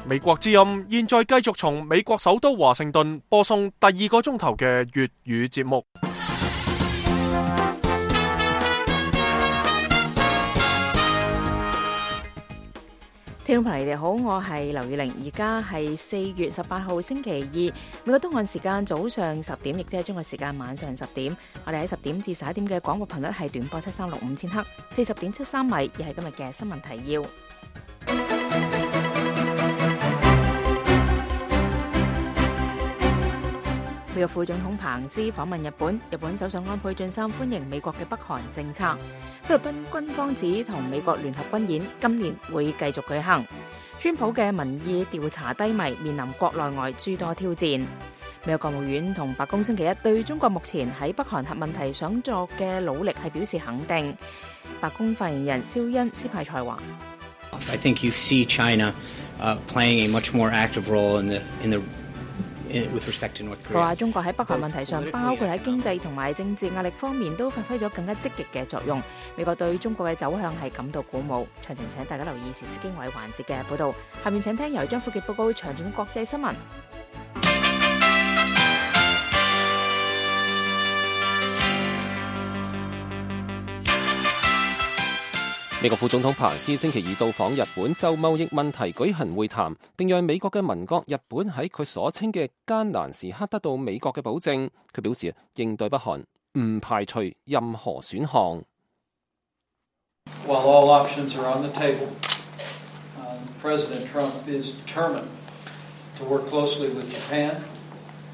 美國之音現在繼續從美國首都華盛頓播送第2個鐘頭嘅粵語節目。聽眾朋友你哋好，我係劉宇玲，而家係4月18號星期二，美國東岸時間早上10點，亦即係中國時間晚上10點。我哋喺10點至11點嘅廣播頻率係短波7365000赫，40.73米，亦係今日嘅新聞提要。美國副總統彭斯訪問日本，日本首相安倍晉三歡迎美國嘅北韓政策。菲律賓軍方指同美國聯合軍演今年會繼續舉行。川普嘅民意調查低迷，面臨國內外諸多挑戰。美國國務院同白宮星期一對中國目前喺北韓核問題上作嘅努力係表示肯定。白宮發言人蕭恩斯派賽話I think you see China playing a much more active role in the with respect to North Korea. 佢話中國喺北韓問題上，包括喺經濟同埋政治壓力方面，都發揮咗更加積極嘅作用。美國對中國嘅走向係感到鼓舞。詳情請大家留意時事經緯環節嘅報導。下面請聽由張富傑報告詳盡國際新聞。美國副總統彭斯星期二到訪日本，就貿易問題舉行會談，並讓美國嘅盟國日本喺佢所稱嘅艱難時刻得到美國嘅保證。佢表示應對北韓唔排除任何選項。While all options are on the table, President Trump is determined to work closely with Japan,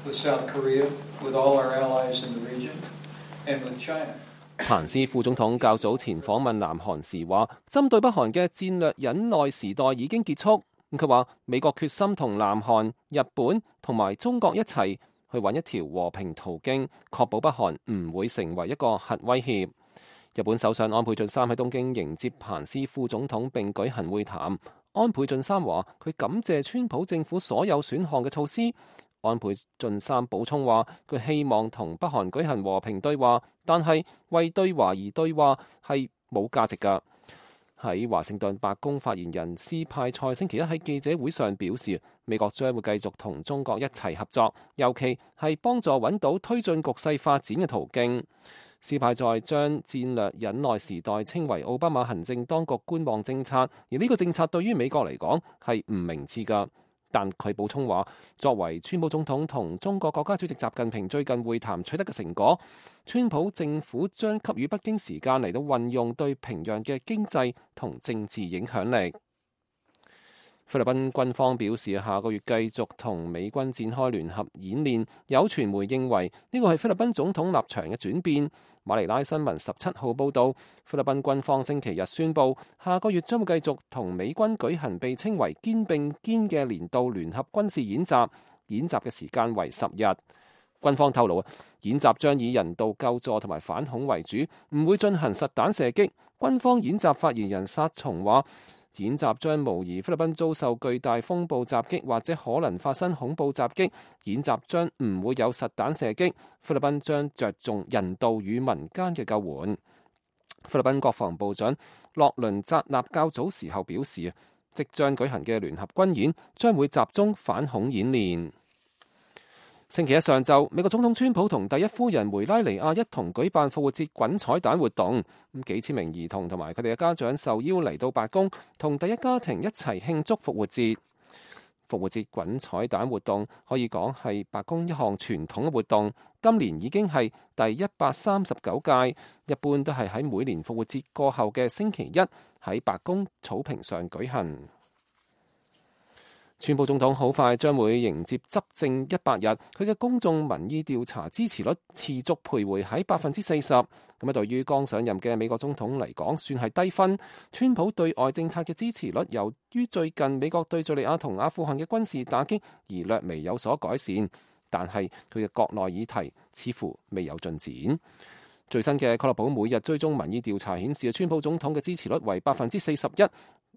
with South Korea, with all our allies in the region, and with China. 彭斯副總統較早前訪問南韓時話，針對北韓嘅戰略忍耐時代已經結束。佢話美國決心同南韓、日本同埋中國一齊去揾一條和平途徑，確保北韓唔會成為一個核威脅。日本首相安倍晉三喺東京迎接彭斯副總統並舉行會談。安倍晉三話佢感謝川普政府所有選項嘅措施。安倍晉三補充話，佢希望同北韓舉行和平對話，但係為對話而對話係冇價值㗎。喺華盛頓白宮發言人斯派塞星期一喺記者會上表示，美國將會繼續同中國一齊合作，尤其係幫助揾到推進局勢發展嘅途徑。斯派塞將戰略忍耐時代稱為奧巴馬行政當局觀望政策，而呢個政策對於美國嚟講係唔明智㗎。但佢補充話，作為川普總統同中國國家主席習近平最近會談取得嘅成果，川普政府將給予北京時間嚟到運用對平壤嘅經濟同政治影響力。菲律賓軍方表示，下個月繼續同美軍展開聯合演練。有傳媒認為呢個係菲律賓總統立場嘅轉變。馬尼拉新聞17號報導，菲律賓軍方星期日宣布，下個月將會繼續同美軍舉行被稱為肩並肩嘅年度聯合軍事演習，演習嘅時間為10日。軍方透露，演習將以人道救助同埋反恐為主，唔會進行實彈射擊。軍方演習發言人薩松話，演習將模擬菲律賓遭受巨大風暴襲擊或者可能發生恐怖襲擊，演習將唔會有實彈射擊。菲律賓將着重人道與民間嘅救援。菲律賓國防部長洛倫扎納較早時候表示，即將舉行嘅聯合軍演將會集中反恐演練。星期一上晝，美國總統川普同第一夫人梅拉尼亞一同舉辦復活節滾彩蛋活動，幾千名兒童同埋佢哋嘅家長受邀嚟到白宮，同第一家庭一齊慶祝復活節。復活節滾彩蛋活動可以講係白宮一項傳統嘅活動，今年已經係第139屆，一般都係喺每年復活節過後嘅星期一喺白宮草坪上舉行。川普總統好快將會迎接執政100日，佢嘅公眾民意調查支持率持續徘徊喺40%。咁對於剛上任嘅美國總統嚟講，算係低分。川普對外政策嘅支持率由於最近美國對敘利亞同阿富汗嘅軍事打擊而略微有所改善，但係佢嘅國內議題似乎未有進展。最新嘅確立保每日追蹤民意調查顯示，川普總統嘅支持率為41%。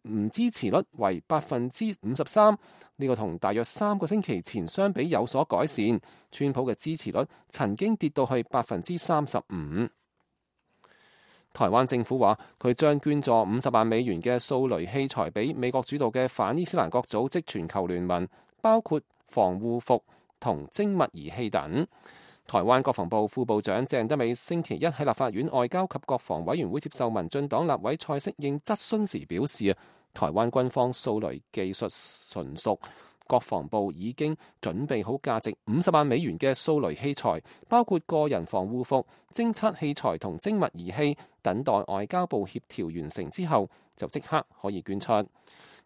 唔支持率為53%，呢個同大約3個星期前相比有所改善。川普嘅支持率曾經跌到去35%。台灣政府話佢將捐助50萬美元嘅掃雷器材俾美國主導嘅反伊斯蘭國組織全球聯盟，包括防護服同精密儀器等。台灣國防部副部長鄭德美星期一喺立法院外交及國防委員會接受民進黨立委蔡適應質詢時表示，台灣軍方掃雷技術純熟，國防部已經準備好價值50萬美元嘅掃雷器材，包括個人防護服、偵測器材同精密儀器，等待外交部協調完成之後，就即刻可以捐出。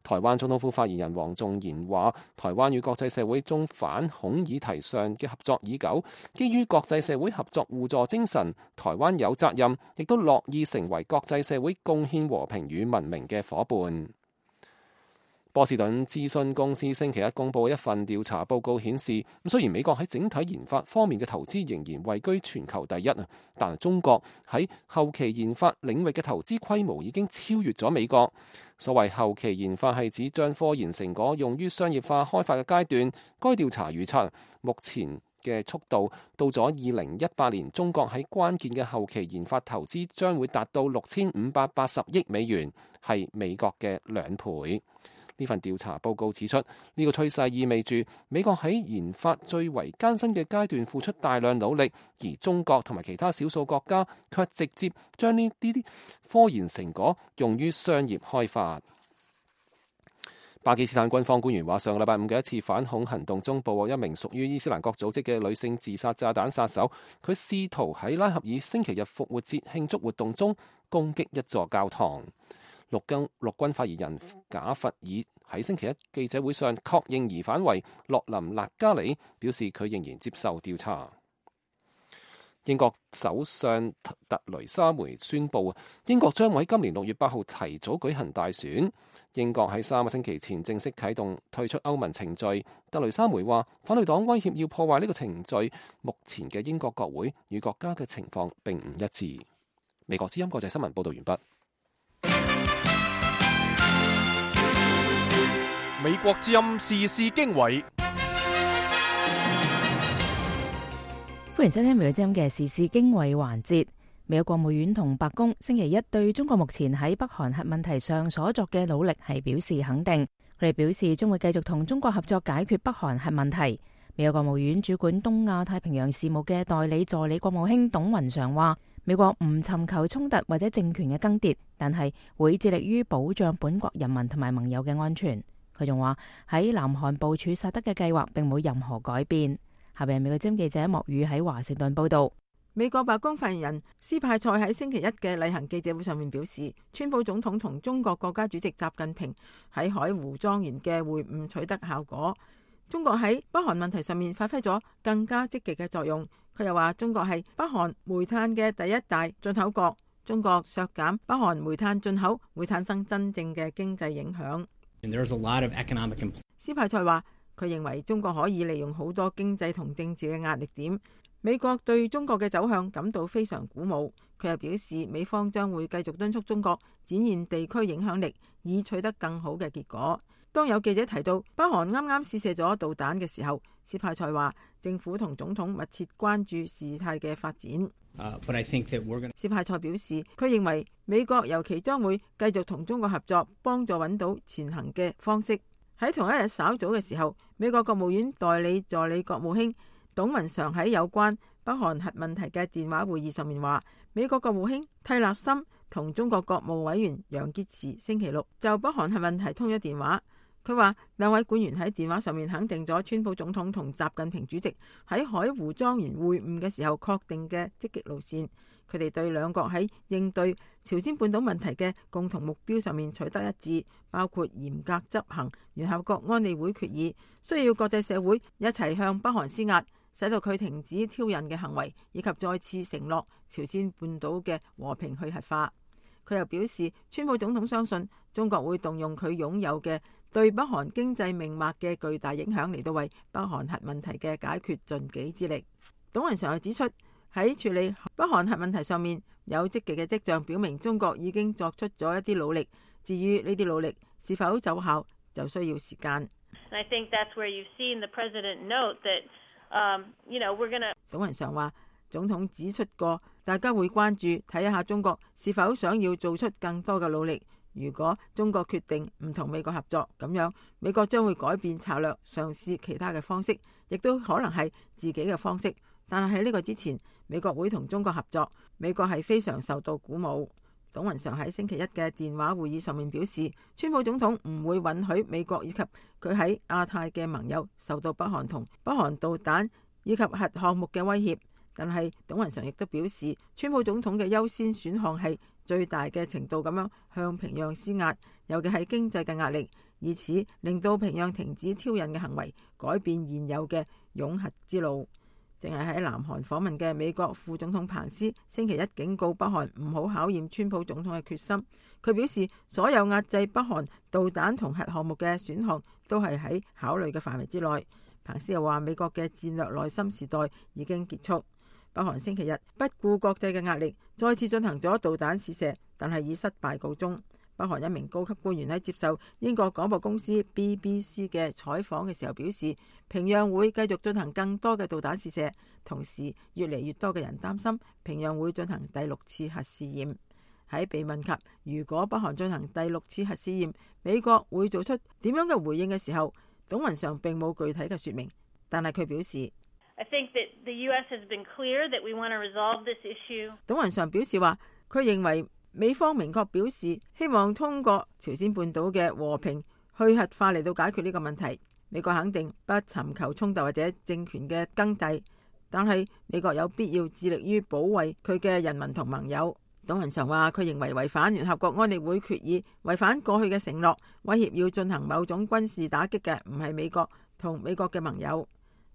台灣總統府發言人黃仲賢話，台灣與國際社會中反恐議題上嘅合作已久，基於國際社會合作互助精神，台灣有責任，亦都樂意成為國際社會貢獻和平與文明嘅夥伴。波士頓諮詢公司星期一公佈一份調查報告顯示，雖然美國喺整體研發方面嘅投資仍然位居全球第一，但中國喺後期研發領域嘅投資規模已經超越咗美國。所謂後期研發係指將科研成果用於商業化開發嘅階段。該調查預測，目前嘅速度到咗2018年，中國喺關鍵嘅後期研發投資將會達到6580億美元，係美國嘅2倍。呢份調查報告指出，呢個趨勢意味住美國喺研發最為艱辛嘅階段付出大量努力，而中國同埋其他少數國家卻直接將呢啲科研成果用於商業開發。巴基斯坦軍方官員話，上個禮拜五嘅一次反恐行動中，捕獲一名屬於伊斯蘭國組織嘅女性自殺炸彈殺手，佢試圖喺拉合爾星期日復活節慶祝活動中攻擊一座教堂。陸軍發言人賈弗爾喺星期一記者會上確認疑犯為洛林納加里，表示佢仍然接受調查。英國首相特雷莎梅宣布，英國將喺今年6月8號提早舉行大選。英國喺3個星期前正式啟動退出歐盟程序。特雷莎梅話，反對黨威脅要破壞呢個程序。目前嘅英國國會與國家嘅情況並唔一致。美國之音國際新聞報道完畢。美國之音時事經緯，歡迎收聽美國之音嘅時事經緯環節。美國國務院同白宮星期一對中國目前喺北韓核問題上所作嘅努力係表示肯定。佢哋表示將會繼續同中國合作解決北韓核問題。美國國務院主管東亞太平洋事務嘅代理助理國務卿董雲常話，美國唔尋求衝突或者政權嘅更迭，但係會致力於保障本國人民同埋盟友嘅安全。佢仲話喺南韓部署薩德嘅計劃並冇任何改變。下邊美國之音記者莫宇喺華盛頓報道。美國白宮發言人斯派塞喺星期一嘅例行記者會上面表示，川普總統同中國國家主席習近平喺海湖莊園嘅會晤取得效果。中國喺北韓問題上面發揮咗更加積極嘅作用。佢又話中國係北韓煤炭嘅第一大進口國，中國削減北韓煤炭進口會產生真正嘅經濟影響。斯派塞話，佢認為中國可以利用好多經濟同政治嘅壓力點。美國對中國嘅走向感到非常鼓舞。佢又表示，美方將會繼續敦促中國展現地區影響力，以取得更好嘅結果。當有記者提到北韓啱啱試射咗導彈嘅時候，斯派塞話政府同總統密切關注事態嘅發展。斯派塞表示，佢認為美國尤其將會繼續同中國合作，幫助揾到前行嘅方式。喺同一日稍早嘅時候，美國國務院代理助理國務卿董雲常喺有關北韓核問題嘅電話會議上面話，美國國務卿蒂勒森同中國國務委員楊潔篪星期六就北韓核問題通咗電話。佢話兩位官員喺電話上面肯定咗川普總統同習近平主席喺海湖莊園會晤嘅時候確定嘅積極路線。佢哋對兩國喺應對朝鮮半島問題嘅共同目標上面取得一致，包括嚴格執行聯合國安理會決議，需要國際社會一齊向北韓施壓，使到佢停止挑釁嘅行為，以及再次承諾朝鮮半島嘅和平去核化。佢又表示，川普總統相信中國會動用佢擁有嘅對北韓經濟命脈嘅巨大影響嚟到為北韓核問題嘅解決盡己之力。董雲常又指出，喺處理北韓核問題上面有積極嘅跡象，表明中國已經作出咗一啲努力。至於呢啲努力是否奏效，就需要時間。董雲常話，總統指出過大家會關注睇一下中國是否想要做出更多嘅努力。如果中國決定唔同美國合作，咁樣美國將會改變策略，嘗試其他嘅方式，亦都可能係自己嘅方式。但係喺呢個之前，美國會同中國合作，美國係非常受到鼓舞。董雲常喺星期一嘅電話會議上面表示，川普總統唔會允許美國以及佢喺亞太嘅盟友受到北韓同北韓導彈以及核項目嘅威脅。但係董雲常亦都表示，川普總統嘅優先選項係最大嘅程度咁樣向平壤施壓，尤其係經濟嘅壓力，以此令到平壤停止挑釁嘅行為，改變現有嘅擁核之路。淨係喺南韓訪問嘅美國副總統彭斯星期一警告北韓唔好考驗川普總統嘅決心。佢表示，所有壓制北韓導彈同核項目嘅選項都係喺考慮嘅範圍之內。彭斯又話，美國嘅戰略內心時代已經結束。北韓星期日不顧國際嘅壓力，再次進行咗導彈試射，但係以失敗告終。北韓一名高級官員喺接受英國廣播公司 BBC 嘅採訪嘅時候表示，平壤會繼續進行更多嘅導彈試射，同時越嚟越多嘅人擔心平壤會進行第6次核試驗。喺被問及如果北韓進行第6次核試驗，美國會做出點樣嘅回應嘅時候，董雲常並冇具體嘅說明，但係佢表示，董雲常表示話，佢認為美方明確表示希望通過朝鮮半島嘅和平去核化嚟到解決呢個問題。美國肯定不尋求衝突或者政權嘅更替，但係美國有必要致力於保衛佢嘅人民同盟友。董雲常話，佢認為違反聯合國安理會決議、違反過去嘅承諾、威脅要進行某種軍事打擊嘅唔係美國同美國嘅盟友。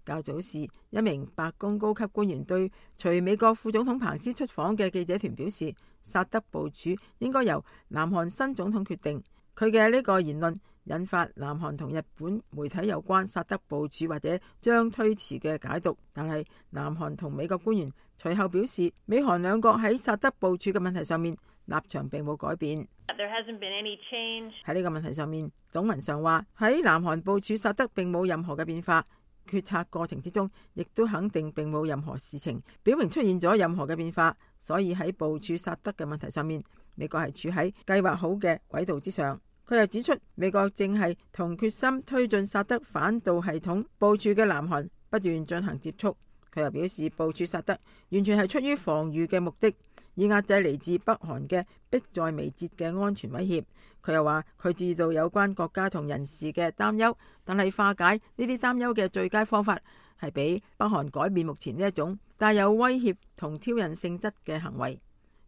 較早時，一名白宮高級官員對隨美國副總統彭斯出訪嘅記者團表示，薩德部署應該由南韓新總統決定。佢嘅呢個言論引發南韓同日本媒體有關薩德部署或者將推遲嘅解讀，但係南韓同美國官員隨後表示，美韓兩國喺薩德部署嘅問題上面立場並冇改變。喺呢個問題上面，董雲常話喺南韓部署薩德並冇任何嘅變化。決策過程之中，亦都肯定並冇任何事情表明出現咗任何嘅變化，所以喺部署薩德嘅問題上面，美國係處喺計劃好嘅軌道之上。佢又指出，美國正係同決心推進薩德反導系統部署嘅南韓不斷進行接觸。佢又表示，部署薩德完全係出於防禦嘅目的，以壓制嚟自北韓嘅迫在眉睫嘅安全威脅。佢又話，佢注意到有關國家同人士嘅擔憂，但係化解呢啲擔憂嘅最佳方法係俾北韓改變目前呢一種帶有威脅同挑釁性質嘅行為。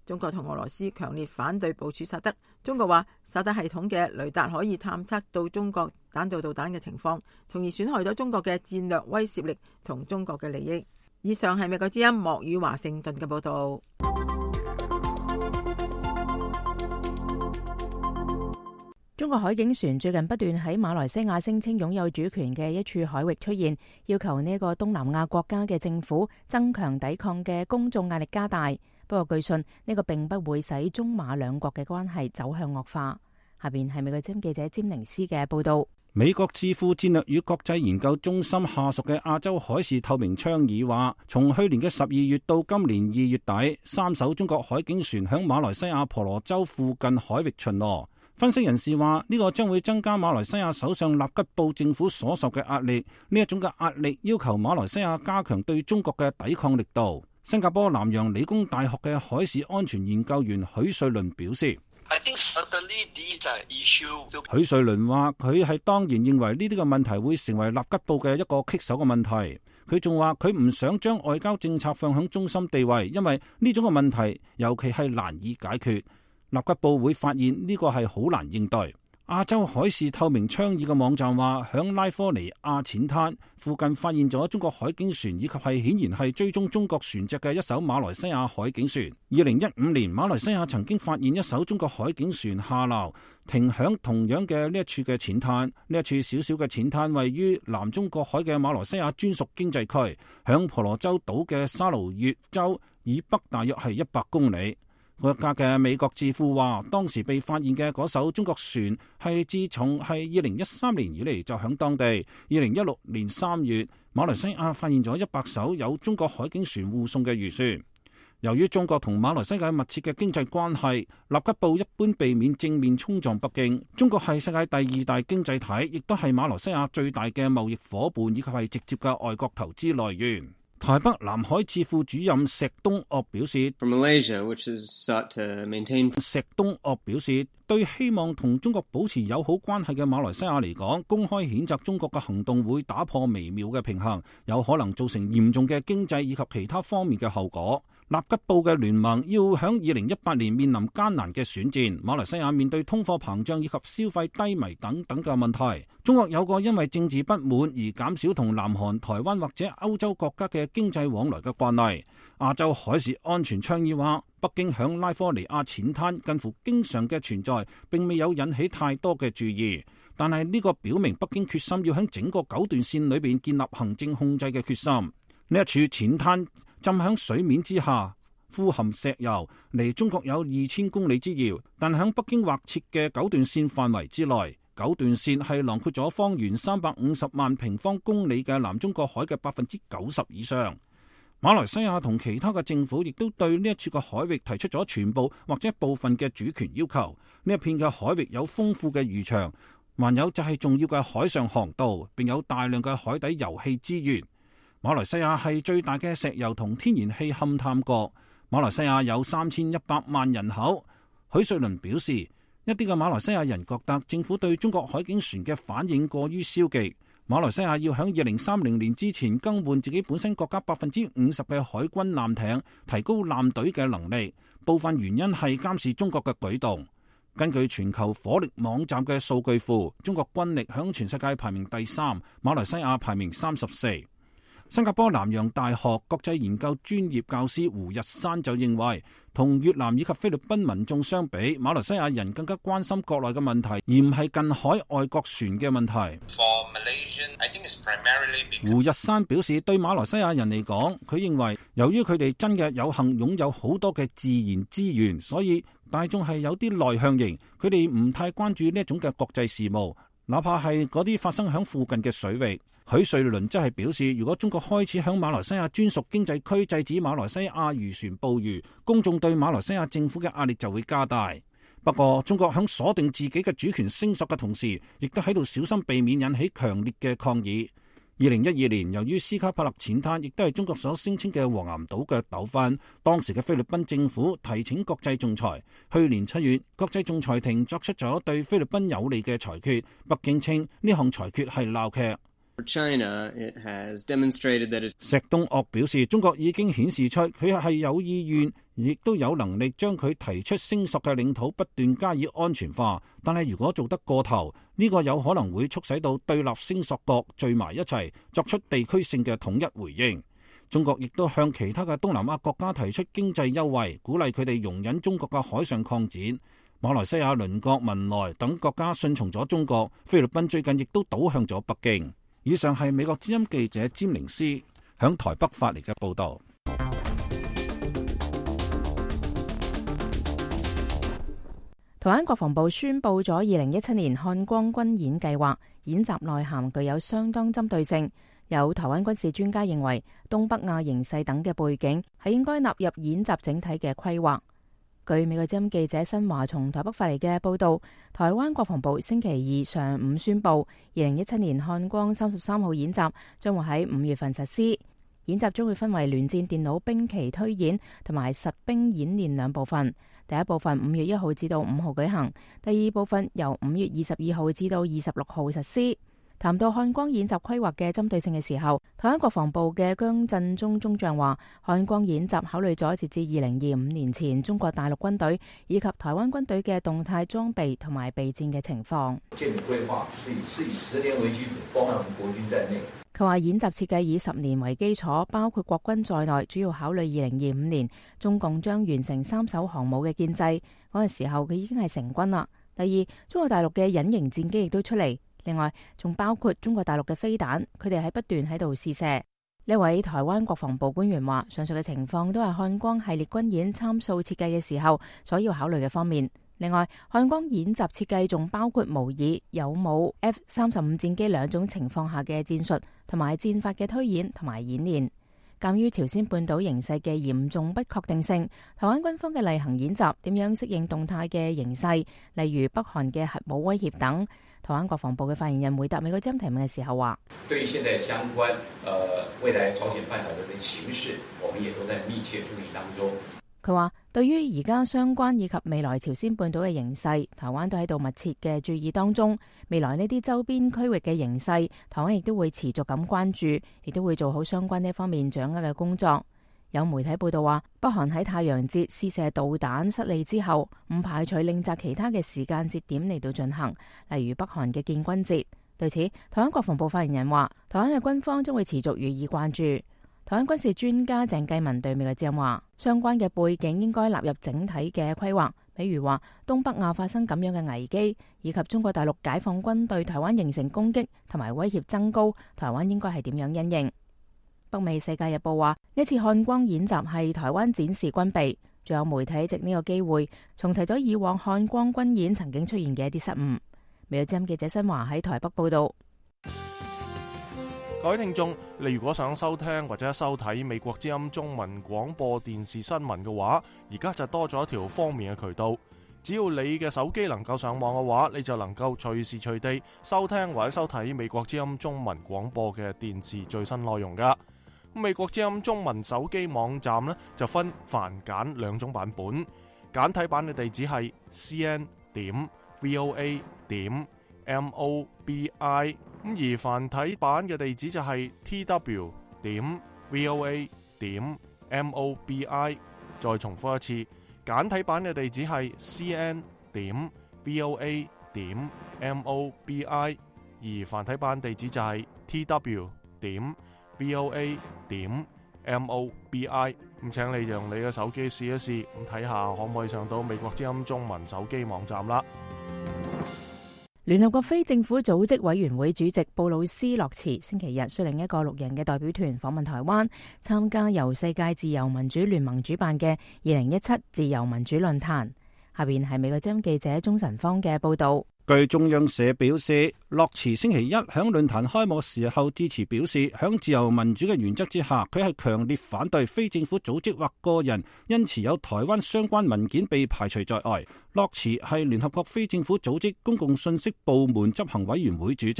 中國同俄羅斯強烈反對部署薩德。中國話，薩德系統嘅雷達可以探測到中國彈道導彈嘅情況，從而損害咗中國嘅戰略威懾力同中國嘅利益。以上係美國之音莫語華盛頓嘅報道。中國海警船最近不斷喺馬來西亞聲稱擁有主權嘅一處海域出現，要求呢個東南亞國家嘅政府增強抵抗嘅公眾壓力加大。不過據信呢個並不會使中馬兩國嘅關係走向惡化。下邊係美國之音記者詹寧斯嘅報道。美國智庫戰略與國際研究中心下屬嘅亞洲海事透明倡議話，從去年嘅12月到今年2月底，3艘中國海警船響馬來西亞婆羅洲附近海域巡邏。分析人士話，呢個將會增加馬來西亞首相納吉布政府所受嘅壓力。呢一種嘅壓力要求馬來西亞加強對中國嘅抵抗力度。新加坡南洋理工大學嘅海事安全研究員許瑞麟表示，許瑞麟話佢係當然認為呢啲嘅問題會成為納吉布嘅一個棘手嘅問題。佢仲話佢唔想將外交政策放響中心地位，因為呢種嘅問題尤其係難以解決。納吉布會發現呢個係好難應對。亞洲海事透明倡議嘅網站話，響拉科尼亞淺灘附近發現咗中國海警船，以及係顯然係追蹤中國船隻嘅一艘馬來西亞海警船。2015年，馬來西亞曾經發現一艘中國海警船下撈，停響同樣嘅呢一處嘅淺灘。呢一處小小嘅淺灘位於南中國海嘅馬來西亞專屬經濟區，響婆羅洲島嘅沙勞越州以北大約係100公里。國家嘅美國智庫話，當時被發現嘅嗰艘中國船係自從係2013年以嚟就響當地。2016年3月，馬來西亞發現咗100艘有中國海警船護送嘅漁船。由於中國同馬來西亞密切嘅經濟關係，納吉布一般避免正面衝撞北京。中國係世界第2大經濟體，亦都係馬來西亞最大嘅貿易夥伴，以及係直接嘅外國投資來源。台北南海智庫主任石東岳表示，石東岳表示，對希望同中國保持友好關係嘅馬來西亞嚟講，公開譴責中國嘅行動會打破微妙嘅平衡，有可能造成嚴重嘅經濟以及其他方面嘅後果。納吉布嘅聯盟要響2018年面臨艱難嘅選戰，馬來西亞面對通貨膨脹以及消費低迷等等嘅問題。中國有個因為政治不滿而減少同南韓、台灣或者歐洲國家嘅經濟往來嘅慣例。亞洲海事安全倡議話，北京響拉科尼亞淺灘近乎經常嘅存在並未有引起太多嘅注意，但係呢個表明北京決心要響整個9段線裏邊建立行政控制嘅決心。呢一處淺灘浸響水面之下，富含石油，離中國有2000公里之遙，但響北京劃設嘅9段線範圍之內。9段線係囊括咗方圓350萬平方公里嘅南中國海嘅90%以上。馬來西亞同其他嘅政府亦都對呢一處嘅海域提出咗全部或者部分嘅主權要求。呢一片嘅海域有豐富嘅漁場，還有就係重要嘅海上航道，並有大量嘅海底油氣資源。馬來西亞係最大嘅石油同天然氣勘探國。馬來西亞有3100萬人口。許瑞麟表示，一啲嘅馬來西亞人覺得政府對中國海警船嘅反應過於消極。馬來西亞要喺2030年之前更換自己本身國家50%嘅海軍艦艇，提高艦隊嘅能力。部分原因係監視中國嘅舉動。根據全球火力網站嘅數據庫，中國軍力響全世界排名第3，馬來西亞排名34。新加坡南洋大學國際研究專業教師胡日山就認為，同越南以及菲律賓民眾相比，馬來西亞人更加關心國內嘅問題，而唔係近海外國船嘅問題。胡日山表示，對馬來西亞人嚟講，佢認為由於佢哋真嘅有幸擁有好多嘅自然資源，所以大眾係有啲內向型，佢哋唔太關注呢一種嘅國際事務，哪怕係嗰啲發生喺附近嘅水域。許瑞麟則係表示，如果中國開始響馬來西亞專屬經濟區制止馬來西亞漁船捕魚，公眾對馬來西亞政府嘅壓力就會加大。不過，中國響鎖定自己嘅主權聲索嘅同時，亦都喺度小心避免引起強烈嘅抗議。2012年，由於斯卡帕勒淺灘亦都係中國所聲稱嘅黃岩島嘅糾紛，當時嘅菲律賓政府提請國際仲裁。去年7月，國際仲裁庭作出咗對菲律賓有利嘅裁決，北京稱呢項裁決係鬧劇。石東岳表示，中國已經顯示出佢係有意願，亦都有能力將佢提出聲索嘅領土不斷加以安全化。但係如果做得過頭，呢個有可能會促使到對立聲索國聚埋一齊，作出地區性嘅統一回應。中國亦都向其他嘅東南亞國家提出經濟優惠，鼓勵佢哋容忍中國嘅海上擴展。馬來西亞鄰國文萊等國家順從咗中國，菲律賓最近亦都倒向咗北京。以上係美國之音記者詹寧斯響台北發嚟嘅報道。台灣國防部宣布咗2017年漢光軍演計劃，演習內涵具有相當針對性。有台灣軍事專家認為，東北亞形勢等嘅背景係應該納入演習整體嘅規劃。據美國之音記者新華從台北發嚟嘅報道，台灣國防部星期二上午宣布，2017年漢光33號演習將會喺5月份實施。演習將會分為聯戰電腦兵棋推演同埋實兵演練兩部分。第一部分5月1號至到5號舉行，第二部分由5月22號至到26號實施。談到漢光演習規劃嘅針對性嘅時候，台灣國防部嘅姜振中中將話，漢光演習考慮咗截至2025年前中國大陸軍隊以及台灣軍隊嘅動態裝備同埋備戰嘅情況。建模規劃是以10年為基礎，包含國軍在內。佢話演習設計以10年為基礎，包括國軍在內，主要考慮2025年中共將完成3艘航母嘅建制，嗰個時候佢已經係成軍啦。第二，中國大陸嘅隱形戰機亦都出嚟。另外，仲包括中國大陸嘅飛彈，佢哋喺不斷喺度試射。呢位台灣國防部官員話，上述嘅情況都係漢光系列軍演參數設計嘅時候所要考慮嘅方面。另外，漢光演習設計仲包括模擬有冇 F-35戰機兩種情況下嘅戰術同埋戰法嘅推演同埋演練。鑑於朝鮮半島形勢嘅嚴重不確定性，台灣軍方嘅例行演習點樣適應動態嘅形勢，例如北韓嘅核武威脅等。台灣國防部嘅發言人回答美國之音提問嘅時候話：對於現在相關未來朝鮮半島嘅情勢，我們也都在密切注意當中。佢話：對於而家相關以及未來朝鮮半島嘅形勢，台灣都喺度密切嘅注意當中。未來呢啲周邊區域嘅形勢，台灣亦都會持續咁關注，亦都會做好相關呢方面掌握嘅工作。有媒體報道話，北韓喺太陽節試射導彈失利之後，唔排除另擇其他嘅時間節點嚟到進行，例如北韓嘅建軍節。對此，台灣國防部發言人話：台灣嘅軍方將會持續予以關注。台灣軍事專家鄭繼文對美國之音話：相關嘅背景應該納入整體嘅規劃，比如話東北亞發生咁樣嘅危機，以及中國大陸解放軍對台灣形成攻擊同埋威脅增高，台灣應該係點樣因應。北美世界日報話：呢次漢光演習係台灣展示軍備，仲有媒體藉呢個機會重提咗以往漢光軍演曾經出現嘅一啲失誤。美國之音記者新華喺台北報道。各位聽眾，你如果想收聽或者收睇美國之音中文廣播電視新聞嘅話，而家就多咗一條方便嘅渠道。只要你嘅手機能夠上網嘅話，你就能夠隨時隨地收聽或者收睇美國之音中文廣播嘅電視最新內容噶。美國之音中文手機網站呢，就分繁簡兩種版本，簡體版嘅地址係 cn.voa.mobi。而繁體版嘅地址就係 tw.voa.mobi。再重複一次，簡體版嘅地址係 cn.voa.mobi。而繁體版地址就係 tw.voa.mobi。咁請你用你嘅手機試一試，咁睇下可唔可以上到美國之音中文手機網站啦。聯合國非政府組織委員會主席布魯斯洛茨星期日率領一個6人嘅代表團訪問台灣，參加由世界自由民主聯盟主辦嘅2017自由民主論壇。下邊係美國之音記者鍾晨芳嘅報道。據中央社表示，洛茨星期一響論壇開幕時候致辭表示，響自由民主嘅原則之下，佢係強烈反對非政府組織或個人因持有台灣相關文件被排除在外。洛茨係聯合國非政府組織公共信息部門執行委員會主席。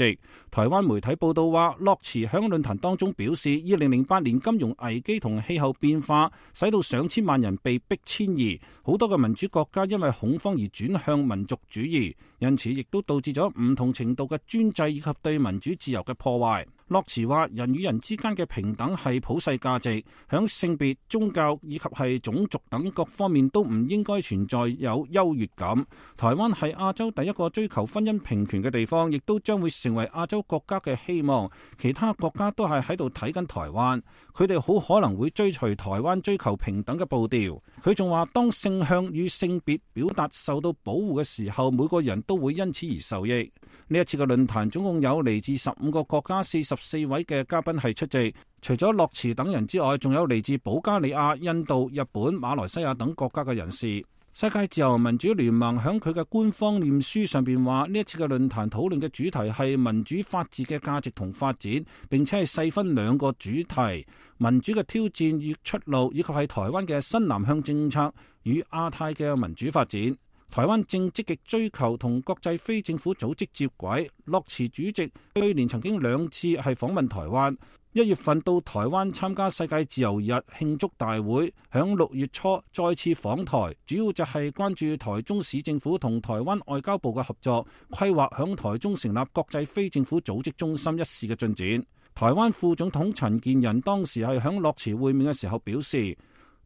台灣媒體報道話，洛茨響論壇當中表示，2008年金融危機同氣候變化使到上千萬人被迫遷移，好多嘅民主國家因為恐慌而轉向民族主義，因此亦都導致咗唔同程度嘅專制以及對民主自由嘅破壞。洛茨話：人與人之間嘅平等係普世價值，響性別、宗教以及係種族等各方面都唔應該存在有優越感。台灣係亞洲第一個追求婚姻平權嘅地方，亦都將會成為亞洲國家嘅希望。其他國家都係喺度睇緊台灣，佢哋好可能會追隨台灣追求平等嘅步調。佢仲話：當性向與性別表達受到保護嘅時候，每個人都會因此而受益。呢一次嘅論壇總共有嚟自15個國家44位嘅嘉賓係出席，除咗洛茨等人之外，仲有嚟自保加利亞、印度、日本、馬來西亞等國家嘅人士。世界自由民主聯盟響佢嘅官方臉書上邊話，呢一次嘅論壇討論嘅主題係民主法治嘅價值同發展，並且係細分2個主題：民主嘅挑戰與出路，以及係台灣嘅新南向政策與亞太嘅民主發展。台灣正積極追求同國際非政府組織接軌。洛茨主席去年曾經2次係訪問台灣，1月份到台灣參加世界自由日慶祝大會，響6月初再次訪台，主要就係關注台中市政府同台灣外交部嘅合作，規劃響台中成立國際非政府組織中心一事嘅進展。台灣副總統陳建仁當時係響洛茨會面嘅時候表示，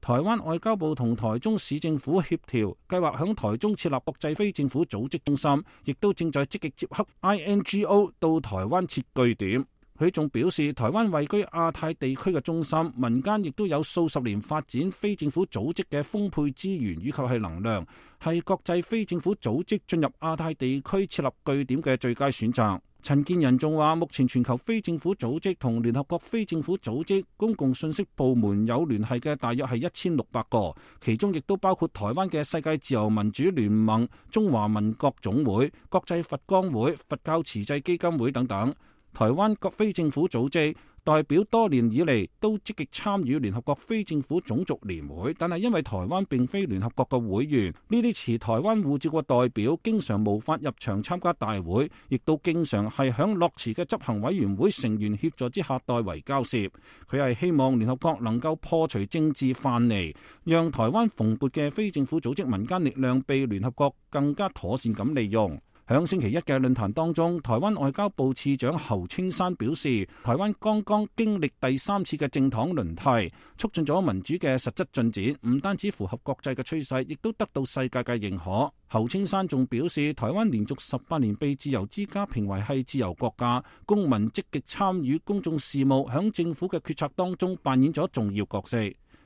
台灣外交部同台中市政府協調，計劃響台中設立國際非政府組織中心，亦都正在積極接洽 INGO 到台灣設據點。佢仲表示，台灣位居亞太地區嘅中心，民間亦都有數十年發展非政府組織嘅豐沛資源以及係能量，係國際非政府組織進入亞太地區設立據點嘅最佳選擇。陳建仁仲話，目前全球非政府組織同聯合國非政府組織公共信息部門有聯繫嘅大約係1600個，其中亦都包括台灣嘅世界自由民主聯盟、中華民國總會、國際佛光會、佛教慈濟基金會等等。台灣各非政府組織代表多年以嚟都積極參與聯合國非政府種族年會，但係因為台灣並非聯合國嘅會員，呢啲持台灣護照嘅代表經常無法入場參加大會，亦都經常係響落辭嘅執行委員會成員協助之下代為交涉。佢係希望聯合國能夠破除政治藩籬，讓台灣蓬勃嘅非政府組織民間力量被聯合國更加妥善咁利用。響星期一嘅論壇當中，台灣外交部次長侯青山表示，台灣剛剛經歷第3次嘅政黨輪替，促進咗民主嘅實質進展，唔單止符合國際嘅趨勢，亦都得到世界嘅認可。侯青山仲表示，台灣連續18年被自由之家評為係自由國家，公民積極參與公眾事務，響政府嘅決策當中扮演咗重要角色。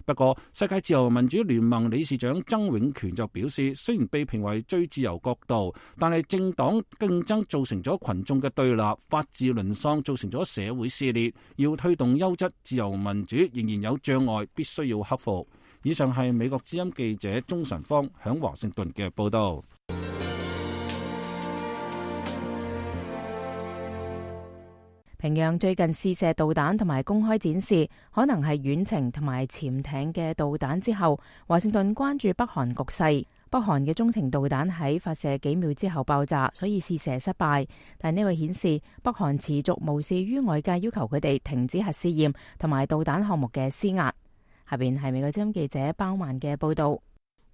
不過，世界自由民主聯盟理事長曾永權就表示，雖然被評為最自由國度，但係政黨競爭造成咗群眾嘅對立，法治淪喪，造成咗社會撕裂，要推動優質自由民主仍然有障礙，必須要克服。以上係美國之音記者鍾晨芳響華盛頓嘅報道。平壤最近試射導彈同埋公開展示可能係遠程同埋潛艇嘅導彈之後，華盛頓關注北韓局勢。北韓嘅中程導彈喺發射幾秒之後爆炸，所以試射失敗。但呢位顯示北韓持續無視於外界要求佢哋停止核試驗同埋導彈項目嘅施壓。下邊係美國之音記者包曼嘅報道。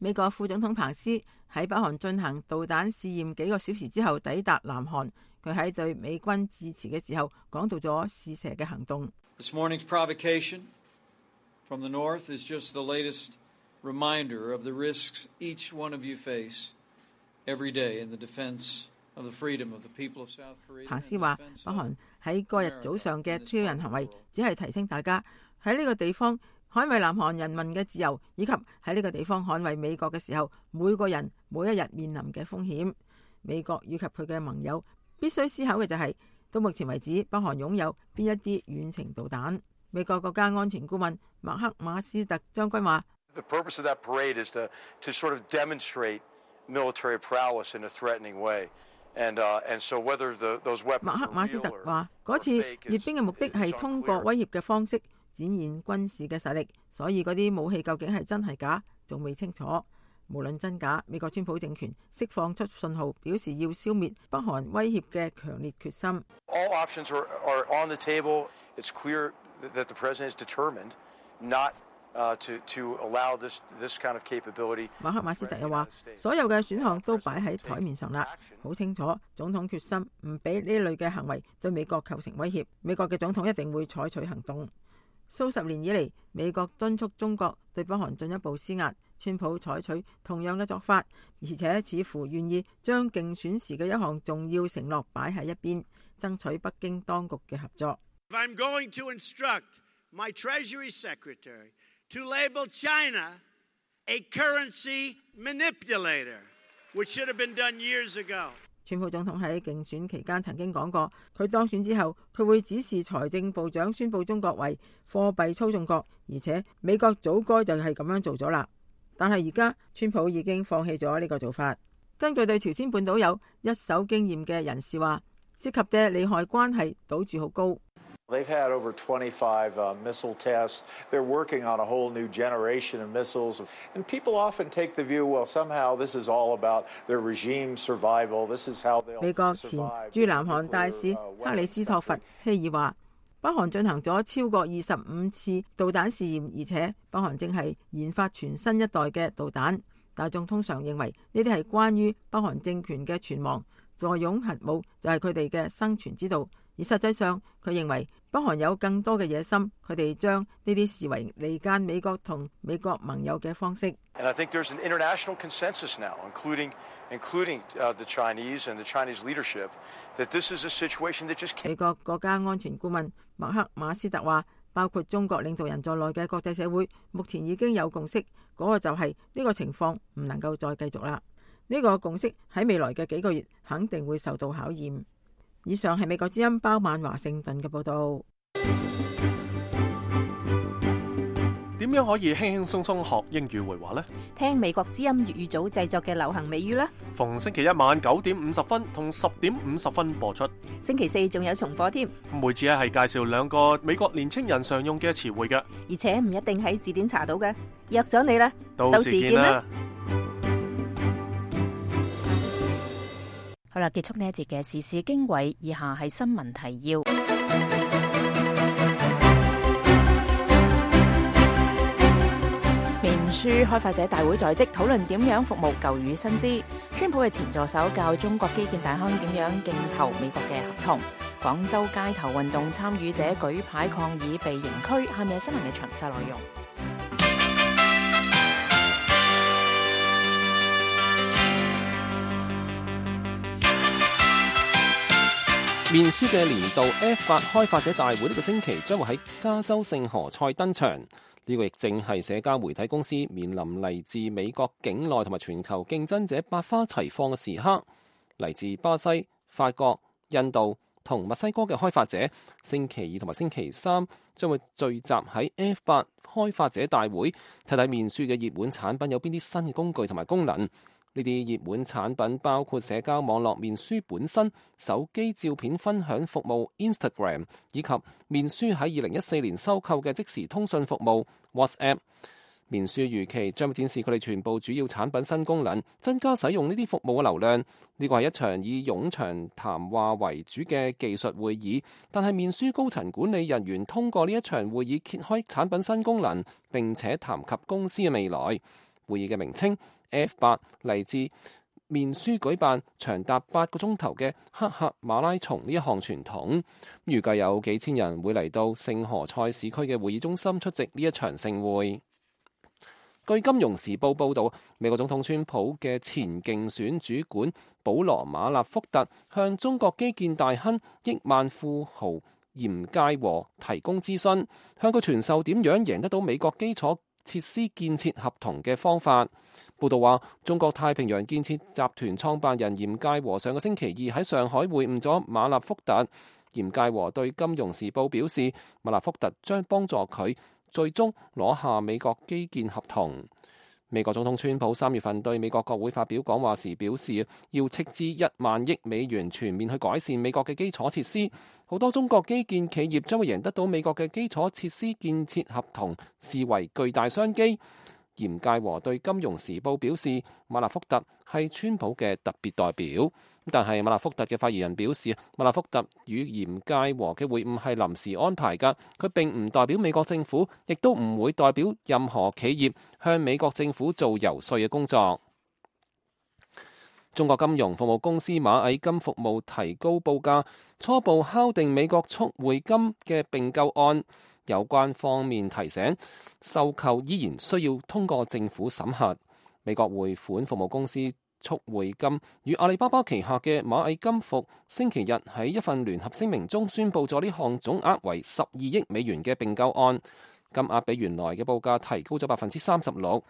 美國副總統彭斯喺北韓進行導彈試驗幾個小時之後抵達南韓。佢喺對美軍致辭嘅時候講到咗試射嘅行動。This morning's provocation from the north is just the latest reminder of the risks each one of you face every day in the defense of the freedom of the people of South Korea. 彭斯話：北韓喺嗰日早上嘅挑釁行為，只係提醒大家喺呢個地方捍衛南韓人民嘅自由，以及喺呢個地方捍衛美國嘅時候，每個人每一日面臨嘅風險。美國以及佢嘅盟友必須思考嘅就係，到目前為止，北韓擁有邊一啲遠程導彈。美國國家安全顧問麥克馬斯特將軍話：The purpose of that parade is to sort of demonstrate military prowess in a threatening way. And so whether those weapons。麥克馬斯特話：嗰次閱兵嘅目的係通過威脅嘅方式展現軍事嘅實力，所以嗰啲武器究竟係真係假，仲未清楚。無論真假，美國川普政權釋放出信號，表示要消滅北韓威脅嘅強烈決心。All options are on the table. It's clear that the president is determined not to allow this kind of capability. 馬克馬斯特又話：所有嘅選項都擺喺台面上啦，好清楚，總統決心唔俾呢類嘅行為對美國構成威脅。美國嘅總統一定會採取行動。數十年以嚟，美國敦促中國對北韓進一步施壓。川普採取同樣嘅做法，而且似乎願意將競選時嘅一項重要承諾擺喺一邊，爭取北京當局嘅合作。I'm going to instruct my Treasury Secretary to label China a currency manipulator, which should have been done years ago. 川普總統喺競選期間曾經講過，佢當選之後，佢會指示財政部長宣布中國為貨幣操縱國，而且美國早該就係咁樣做咗啦。但係而家川普已經放棄咗呢個做法。根據對朝鮮半島有一手經驗嘅人士話，涉及嘅利害關係賭注好高。They've had over 25 missile tests. They're working on a whole new generation of missiles. And people often take the view, well, somehow this is all about their regime survival. This is how they'll survive. 美國前駐南韓大使克里斯托弗希爾話，北韓進行咗超過25次導彈試驗，而且北韓正係研發全新一代嘅導彈。大眾通常認為呢啲係關於北韓政權嘅存亡，坐擁核武就係佢哋嘅生存之道。而實際上，佢認為北韓有更多嘅野心，佢哋將呢啲視為離間美國同美國盟友嘅方式。And I think there's an international consensus now, including the Chinese and the Chinese leadership, that this is a situation that just can't. 美國國家安全顧問麥克馬斯特話，包括中國領導人在內嘅國際社會目前已經有共識，嗰個就係呢個情況唔能夠再繼續啦。呢個共識喺未來嘅幾個月肯定會受到考驗。以上係美國之音包曼華盛頓嘅報道。點點樣可以輕輕鬆鬆學英語會話呢？聽美國之音粵語組製作嘅流行美語啦。逢星期一晚9:50同10:50播出。星期四仲有重播添。每次係介紹2個美國年青人常用嘅詞彙嘅，而且唔一定喺字典查到嘅。約咗你啦，到時見啦。好啦，結束呢一節嘅時事經緯，以下係新聞提要。面書開發者大會在即，討論點樣服務舊與新知。川普嘅前助手教中國基建大亨點樣競投美國嘅合同。廣州街頭運動參與者舉牌抗議被刑拘。下面係新聞嘅詳細內容。面書嘅年度 F8 開發者大會呢個星期將會喺加州聖何塞登場，呢個亦正係社交媒體公司面臨嚟自美國境內同埋全球競爭者百花齊放嘅時刻。嚟自巴西、法國、印度同墨西哥嘅開發者，星期二同埋星期三將會聚集喺 F8 開發者大會，睇睇面書嘅熱門產品有邊啲新嘅工具同埋功能。呢啲熱門產品包括社交網絡面書本身、手機照片分享服務 Instagram， 以及面書喺2014年收購嘅即時通訊服務 WhatsApp。面書預期將會展示佢哋全部主要產品新功能，增加使用呢啲服務嘅流量。呢個係一場以冗長談話為主嘅技術會議，但係面書高層管理人員通過呢一場會議揭開產品新功能，並且談及公司嘅未來。會議嘅名稱F8 嚟自面書舉辦長達8個鐘頭嘅黑客馬拉松呢一項傳統，預計有幾千人會嚟到聖何塞市區嘅會議中心出席呢一場盛會。據《金融時報》報導，美國總統川普嘅前競選主管保羅馬納福特向中國基建大亨億萬富豪嚴介和提供諮詢，向佢傳授點樣贏得到美國基礎設施建設合同嘅方法。報道話，中國太平洋建設集團創辦人嚴介和上個星期二喺上海會晤咗馬納福特。嚴介和對《金融時報》表示，馬納福特將幫助佢最終攞下美國基建合同。美國總統川普3月份對美國國會發表講話時表示，要斥資1萬億美元全面去改善美國嘅基礎設施。好多中國基建企業將會贏得到美國嘅基礎設施建設合同，視為巨大商機。嚴介和對《金融時報》表示，馬納福特係川普嘅特別代表。但係馬納福特嘅發言人表示，馬納福特與嚴介和嘅會晤係臨時安排㗎，佢並唔代表美國政府，亦都唔會代表任何企業向美國政府做游說嘅工作。中國金融服務公司螞蟻金服務提高報價，初步敲定美國速匯金嘅併購案。有關方面提醒，收購依然需要通過政府審核。美國匯款服務公司速匯金與阿里巴巴旗下嘅螞蟻金服星期日喺一份聯合聲明中宣布咗呢項總額為12億美元嘅併購案，金額比原來嘅報價提高咗36%。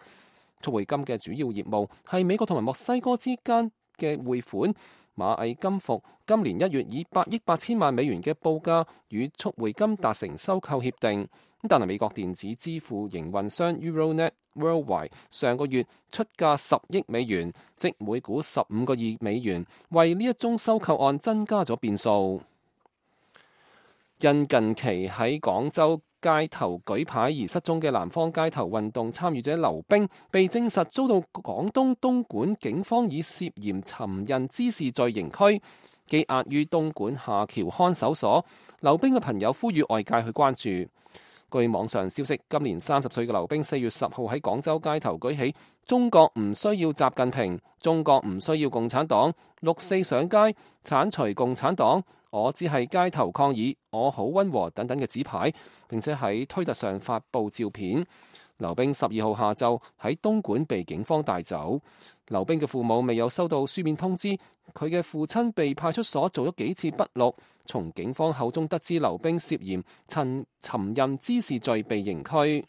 速匯金嘅主要業務係美國同埋墨西哥之間嘅匯款。螞蟻金服今年1月以8億8千萬美元嘅報價與速匯金達成收購協定，但係美國電子支付營運商 Euronet Worldwide 上個月出價10億美元，即每股15個2美元，為呢一宗收購案增加咗變數。因近期喺廣州街頭舉牌而失蹤嘅南方街頭運動參與者劉冰，被證實遭到廣東東莞警方以涉嫌尋釁滋事罪刑拘，羈押於東莞下橋看守所。劉冰嘅朋友呼籲外界去關注。據網上消息，今年30歲嘅劉冰4月10號喺廣州街頭舉起中國唔需要習近平，中國唔需要共產黨，6·4上街剷除共產黨，我只係街頭抗議，我好溫和等等嘅紙牌，並且喺推特上發布照片。劉冰12號下晝喺東莞被警方帶走。劉冰嘅父母未有收到書面通知，佢嘅父親被派出所做咗幾次筆錄。從警方口中得知，劉冰涉嫌尋釁滋事罪被刑拘。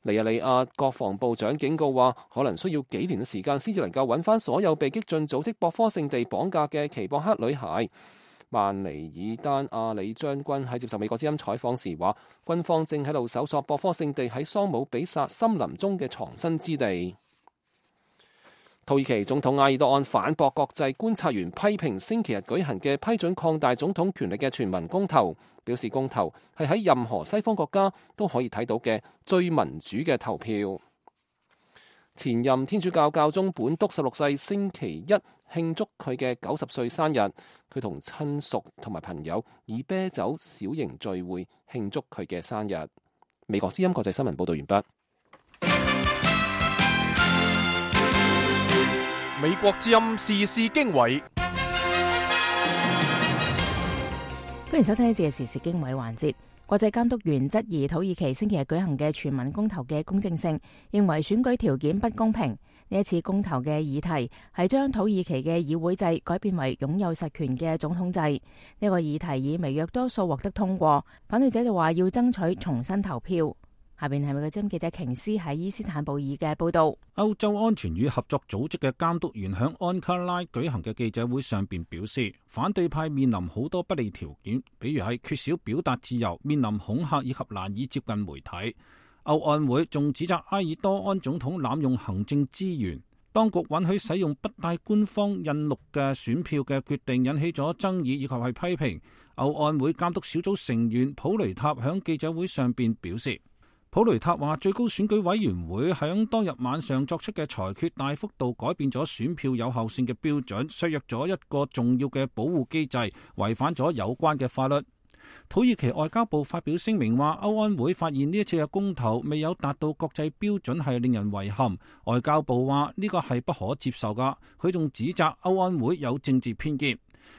尼日利亞國防部長警告話，可能需要幾年嘅時間先至能夠揾翻所有被激進組織博科聖地綁架嘅奇博克女孩。曼尼爾丹阿里將軍喺接受美國之音採訪時話，軍方正喺度搜索博科聖地喺桑姆比薩森林中嘅藏身之地。土耳其總統埃爾多安反駁國際觀察員批評星期日舉行嘅批准擴大總統權力嘅全民公投，表示公投係喺任何西方國家都可以睇到嘅最民主嘅投票。前任天主教教宗本篤16世星期一慶祝佢嘅90歲生日，佢同親屬同埋朋友以啤酒小型聚會慶祝佢嘅生日。美國之音國際新聞報道完畢。美國之音時事經緯，歡迎收聽呢節嘅時事經緯環節。國際監督員質疑土耳其星期日舉行嘅全民公投嘅公正性，認為選舉條件不公平。呢一次公投嘅議題係將土耳其嘅議會制改變為擁有實權嘅總統制。呢個議題以微弱多數獲得通過，反對者就話要爭取重新投票。下邊係美國之音記者瓊斯喺伊斯坦布爾嘅報道。歐洲安全與合作組織嘅監督員響安卡拉舉行嘅記者會上邊表示，反對派面臨好多不利條件，比如係缺少表達自由、面臨恐嚇以及難以接近媒體。歐安會仲指責埃爾多安總統濫用行政資源，當局允許使用不帶官方印錄嘅選票嘅決定引起咗爭議以及係批評。歐安會監督小組成員普雷塔響記者會上邊表示，普雷塔話最高選舉委員會響當日晚上作出嘅裁決大幅度改變咗選票有效性嘅標準，削弱咗一個重要嘅保護機制，違反咗有關嘅法律。土耳其外交部發表聲明話，歐安會發現呢一次嘅公投未有達到國際標準係令人遺憾。外交部話呢個係不可接受噶，佢仲指責歐安會有政治偏見。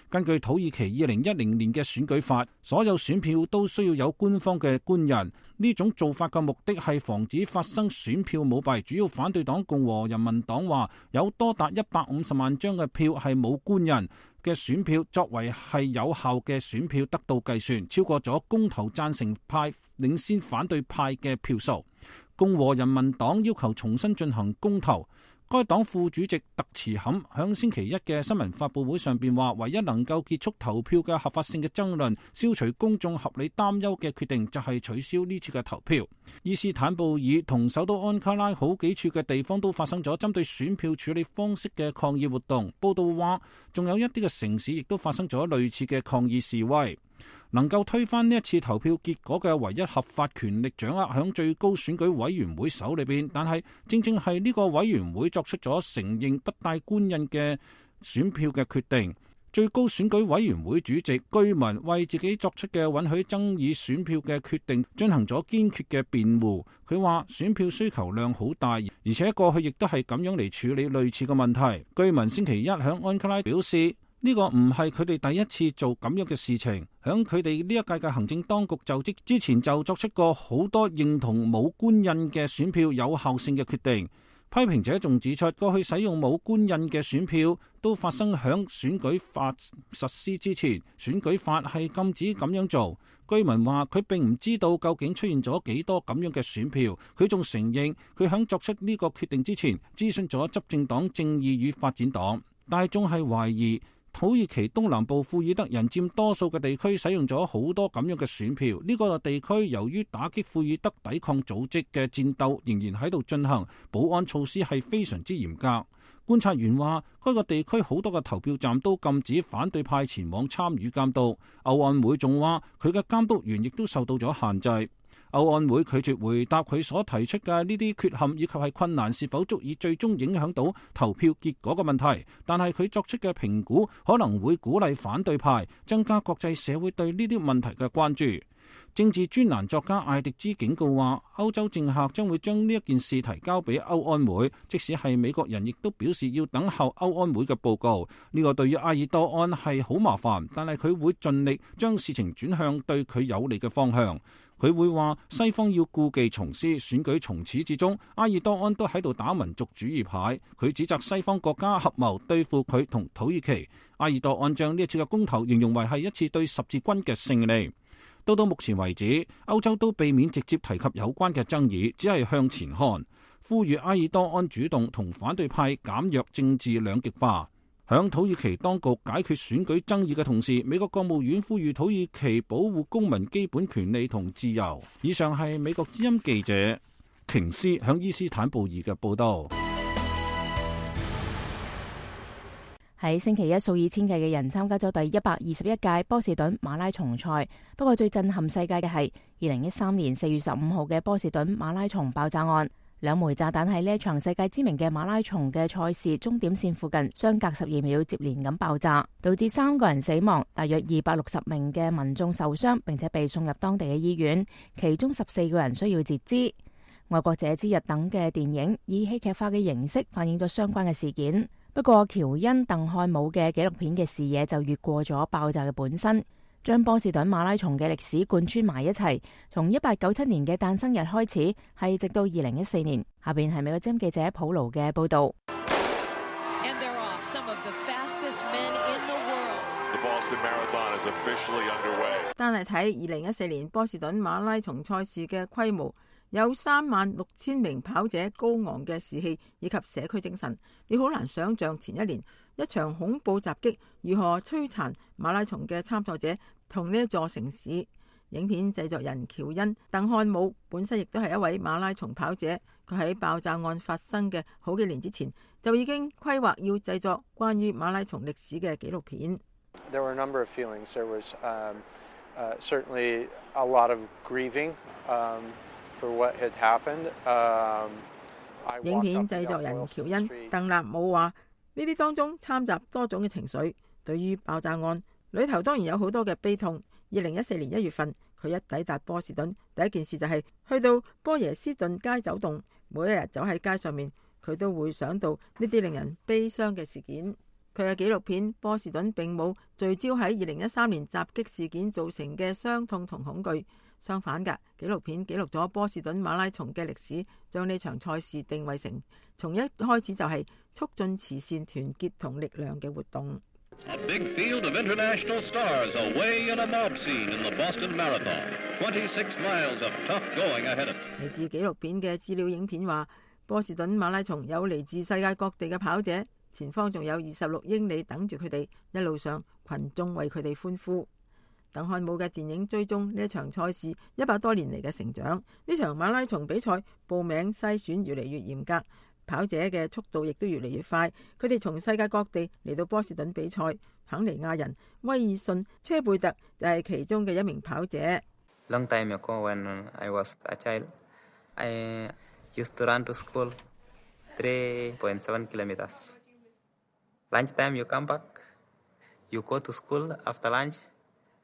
根據土耳其2010年嘅選舉法，所有選票都需要有官方嘅官人。呢種做法嘅目的係防止發生選票舞弊。主要反對黨共和人民黨話，有多達150萬張嘅票係冇官人嘅選票作為係有效嘅選票得到計算，超過咗公投贊成派領先反對派嘅票數。共和人民黨要求重新進行公投。該黨副主席特茨坎響星期一嘅新聞發佈會上邊話，唯一能夠結束投票嘅合法性嘅爭論，消除公眾合理擔憂嘅決定就係取消呢次嘅投票。伊斯坦布爾同首都安卡拉好幾處嘅地方都發生咗針對選票處理方式嘅抗議活動。報道話，仲有一啲嘅城市亦都發生咗類似嘅抗議示威。能夠推翻呢一次投票結果嘅唯一合法權力掌握響最高選舉委員會手裏邊，但係正正係呢個委員會作出咗承認不帶官印嘅選票嘅決定。最高選舉委員會主席居民為自己作出嘅允許爭議選票嘅決定進行咗堅決嘅辯護。佢話選票需求量好大，而且過去亦都係咁樣嚟處理類似嘅問題。居民星期一響安卡拉表示，呢個唔係佢哋第一次做咁樣嘅事情，響佢哋呢一屆嘅行政當局就職之前就作出過好多認同冇官印嘅選票有效性嘅決定。批評者仲指出，過去使用冇官印嘅選票都發生響選舉法實施之前，選舉法係禁止咁樣做。居民話佢並唔知道究竟出現咗幾多咁樣嘅選票。佢仲承認佢響作出呢個決定之前諮詢咗執政黨正義與發展黨，但係仲係懷疑土耳其東南部庫爾德人佔多數嘅地區使用咗好多咁樣嘅選票。呢個地區由於打擊庫爾德抵抗組織嘅戰鬥仍然喺度進行，保安措施係非常之嚴格。觀察員話，該個地區好多嘅投票站都禁止反對派前往參與監督。歐安會仲話，佢嘅監督員亦都受到咗限制。歐安會拒絕回答佢所提出嘅呢啲缺陷以及係困難是否足以最終影響到投票結果嘅問題，但係佢作出嘅評估可能會鼓勵反對派，增加國際社會對呢啲問題嘅關注。政治專欄作家艾迪茲警告話，歐洲政客將會將呢一件事提交俾歐安會，即使係美國人亦都表示要等候歐安會嘅報告。呢個對於埃爾多安係好麻煩，但係佢會盡力將事情轉向對佢有利嘅方向。佢會話西方要故技重施，選舉從始至終，埃爾多安都喺度打民族主義牌。佢指責西方國家合謀對付佢同土耳其。埃爾多安將呢一次嘅公投形容為係一次對十字軍嘅勝利。到目前為止，歐洲都避免直接提及有關嘅爭議，只係向前看，呼籲埃爾多安主動同反對派減弱政治兩極化。響土耳其當局解決選舉爭議嘅同時，美國國務院呼籲土耳其保護公民基本權利同自由。以上係美國之音記者瓊斯響伊斯坦布爾嘅報道。喺星期一，數以千計嘅人參加咗第121屆波士頓馬拉松賽。不過最震撼世界嘅係2013年4月15號嘅波士頓馬拉松爆炸案。兩枚炸彈喺呢一場世界知名嘅馬拉松嘅賽事終點線附近相隔12秒接連咁爆炸，導致3個人死亡，大約260名嘅民眾受傷，並且被送入當地嘅醫院，其中14個人需要截肢。愛國者之日等嘅電影以戲劇化嘅形式反映咗相關嘅事件。不過喬恩·鄧漢姆嘅紀錄片嘅視野就越過咗爆炸嘅本身，將波士頓馬拉松嘅歷史貫穿埋一齊，從1897年嘅誕生日開始，係直到2014年。下邊係美國之音記者普勞嘅報道。單係睇2014年波士頓馬拉松賽事嘅規模，有36000名跑者高昂嘅士氣以及社區精神，你好難想象前一年一場恐怖襲擊如何摧殘馬拉松嘅參賽者同呢一座城市。影片製作人喬恩·鄧漢姆本身亦都係一位馬拉松跑者，佢喺爆炸案發生嘅好幾年之前就已經規劃要製作關於馬拉松歷史嘅紀錄片。There were a number of feelings. There was certainly a lot of grieving for what had happened. 影片製作人喬恩·鄧納姆話：呢啲當中摻雜多種嘅情緒。對於爆炸案裏頭當然有好多嘅悲痛。2014年1月份，佢一抵達波士頓，第一件事就係去到波耶斯頓街走動。每一日走喺街上面，佢都會想到呢啲令人悲傷嘅事件。佢嘅紀錄片《波士頓》並冇聚焦喺2013年襲擊事件造成嘅傷痛同恐懼，相反嘅，紀錄片記錄咗波士頓馬拉松嘅歷史，將呢場賽事定位成從一開始就係促進慈善團結同力量嘅活動。A big field of international stars away in a mob scene in the Boston Marathon. 26 miles of tough going ahead of them. 嚟自紀錄片嘅資料影片話，波士頓馬拉松有嚟自世界各地嘅跑者，前方仲有26英里等住佢哋，一路上群眾為佢哋歡呼。鄧漢姆嘅電影追蹤呢一場賽事100多年嚟嘅成長。呢場馬拉松比賽報名篩選越嚟越嚴格，跑者嘅速度亦都越嚟越快。佢哋從世界各地嚟到波士頓比賽。肯尼亞人威爾遜車貝特就係其中嘅一名跑者。Long time ago, when I was a child, I used to run to school 3.7 kilometers. Lunchtime you come back, you go to school after lunch,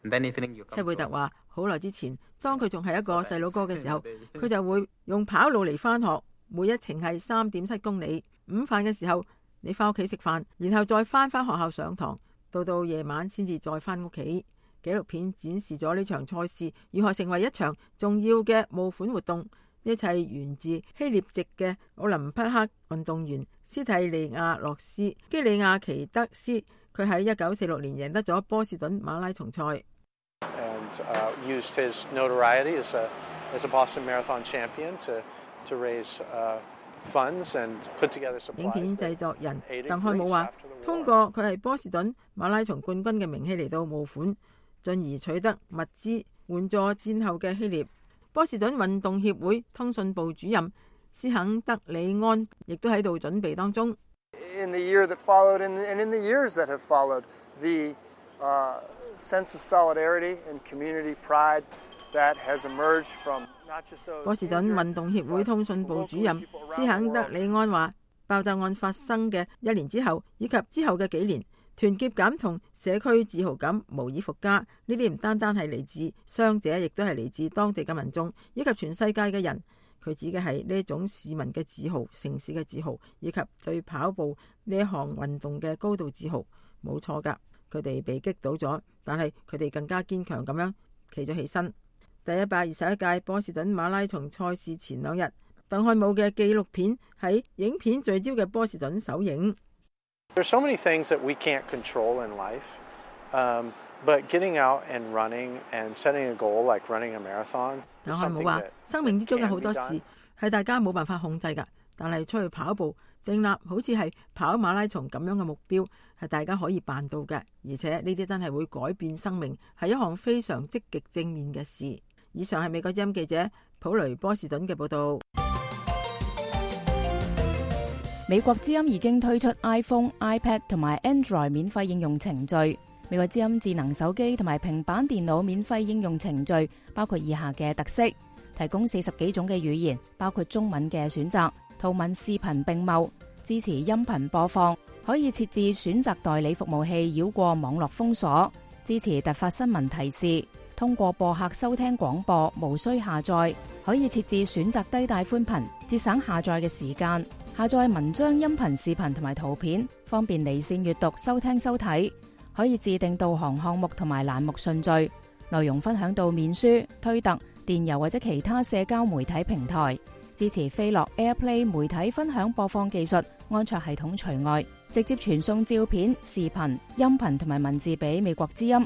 and then evening you come. 車貝特話：好耐之前，當佢仲係一個細佬哥嘅時候，佢就會用跑路嚟返學，每一程係3.7公里。午飯嘅時候，你返屋企食飯，然後再返學校上堂。到夜晚先至再返屋企。紀錄片展示咗呢場賽事如何成為一場重要嘅募款活動。呢一切源自希臘籍嘅奧林匹克運動員斯蒂利亞洛斯基里亞奇德斯，佢喺1946年贏得咗波士頓馬拉松賽。And used his notoriety as a Boston Marathon champion to raise funds and put together supplies. 影片製作人鄧漢姆話：通過佢係波士頓馬拉松冠軍嘅名氣嚟到募款，進而取得物資援助戰後嘅希臘。波士頓運動協會通訊部主任斯肯德里安亦都喺度準備當中。In the year that followed and in the years that have followed, the sense of solidarity and community pride that has emerged from not just those. 波士頓運動協會通訊部主任斯肯德里安話：爆炸案發生嘅1年之後，以及之後嘅幾年，團結感同社區自豪感無以復加。呢啲唔單單係嚟自傷者，亦都係嚟自當地嘅民眾以及全世界嘅人。佢指嘅係呢種市民嘅自豪、城市嘅自豪，以及對跑步呢一項運動嘅高度自豪。冇錯㗎，佢哋被擊倒咗，但係佢哋更加堅強咁樣企咗起身。第121屆波士頓馬拉松賽事前2日，鄧漢姆嘅紀錄片喺影片聚焦嘅波士頓首映。There's so many things that we can't control in life, but getting out and running and setting a goal like running a marathon. 鄧漢姆話：生命之中有好多事係大家冇辦法控制㗎，但係出去跑步，訂立好似係跑馬拉松咁樣嘅目標，係大家可以辦到嘅，而且呢啲真係會改變生命，係一項非常積極正面嘅事。以上係美國之音記者普雷波士頓嘅報道。美國之音已經推出 iPhone、iPad 同埋 Android 免費應用程序。美國之音智能手機同埋平板電腦免費應用程序包括以下嘅特色：提供40幾種嘅語言，包括中文嘅選擇，圖文視頻並茂，支持音頻播放，可以設置選擇代理服務器繞過網絡封鎖，支持突發新聞提示，通過播客收聽廣播，無需下載，可以設置選擇低帶寬頻，節省下載嘅時間，下載文章、音頻、視頻同埋圖片，方便離線閱讀、收聽收睇，可以自定導航項目同埋欄目順序，內容分享到面書、推特、電郵或者其他社交媒體平台，支持飛樂 AirPlay 媒體分享播放技術，安卓系統除外，直接傳送照片、視頻、音頻同埋文字俾美國之音。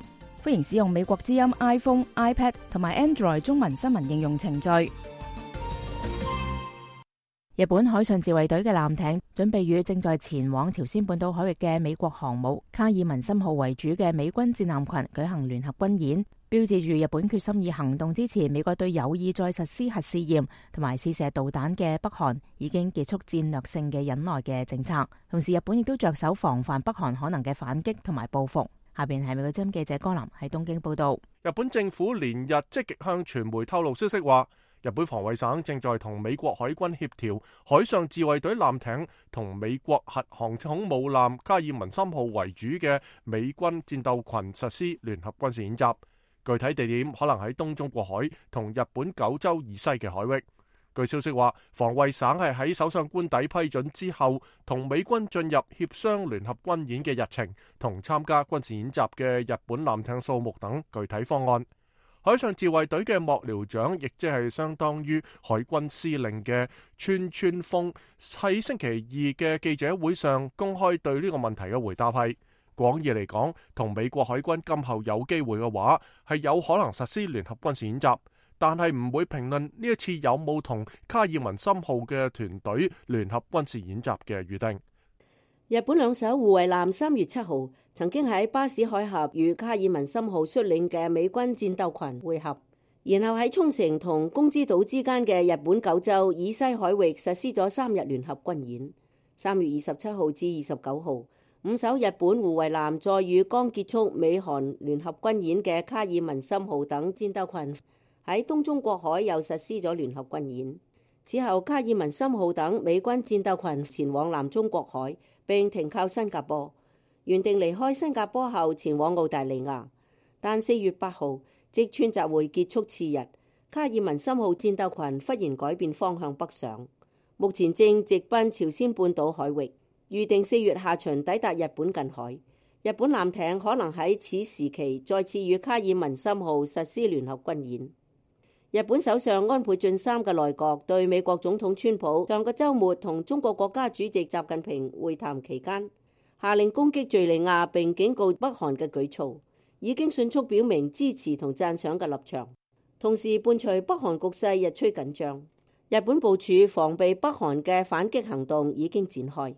歡迎使用美國之音 iPhone、iPad 同埋 Android 中文新聞應用程序。日本海上自衛隊嘅艦艇準備與正在前往朝鮮半島海域嘅美國航母卡爾文森號為主嘅美軍戰艦群舉行聯合軍演，標誌住日本決心以行動支持美國對有意再實施核試驗同埋試射導彈嘅北韓已經結束戰略性嘅忍耐嘅政策。同時，日本亦都着手防範北韓可能嘅反擊同埋報復。下邊係美國之音記者江林喺東京報道。日本政府連日積極向傳媒透露消息話，日本防衛省正在同美國海軍協調海上自衛隊艦艇同美國核航空母艦卡爾文森號為主嘅美軍戰鬥群實施聯合軍事演習，具體地點可能喺東中國海同日本九州以西嘅海域。據消息話，防衛省係喺首相官邸批准之後，同美軍進入協商聯合軍演嘅日程同參加軍事演習嘅日本艦艇數目等具體方案。海上自衛隊嘅幕僚長，亦即係相當於海軍司令嘅川村豐，喺星期二嘅記者會上公開對呢個問題嘅回答係：廣義嚟講，同美國海軍今後有機會嘅話，係有可能實施聯合軍事演習，但係唔會評論呢一次有冇同卡爾文森號嘅團隊聯合軍事演習嘅預定。日本兩艘護衛艦3月7號曾經喺巴士海峽與卡爾文森號率領嘅美軍戰鬥群會合，然後喺沖繩同宮之島之間嘅日本九州以西海域實施咗3日聯合軍演。3月27號至29號，5艘日本護衛艦再與剛結束美韓聯合軍演嘅卡爾文森號等戰鬥群喺東中國海又實施咗聯合軍演。此後，卡爾文森號等美軍戰鬥群前往南中國海，並停靠新加坡，原定離開新加坡後前往澳大利亞。但4月8號，直川集會結束次日，卡爾文森號戰鬥群忽然改變方向北上，目前正直奔朝鮮半島海域，預定4月下旬抵達日本近海。日本艦艇可能喺此時期再次與卡爾文森號實施聯合軍演。日本首相安倍晉三嘅內閣對美國總統川普上個週末同中國國家主席習近平會談期間，下令攻擊敘利亞並警告北韓嘅舉措，已經迅速表明支持同讚賞嘅立場。同時伴隨北韓局勢日趨緊張，日本部署防備北韓嘅反擊行動已經展開。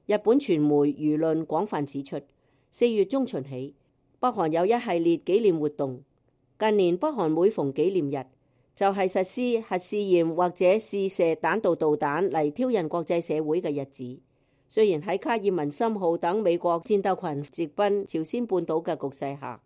日本傳媒輿論廣泛指出，4月中旬起，北韓有一系列紀念活動。近年北韓每逢紀念日，就係實施核試驗或者試射彈道導彈嚟挑釁國際社會嘅日子。雖然喺卡爾文森號等美國戰鬥群直奔朝鮮半島嘅局勢下，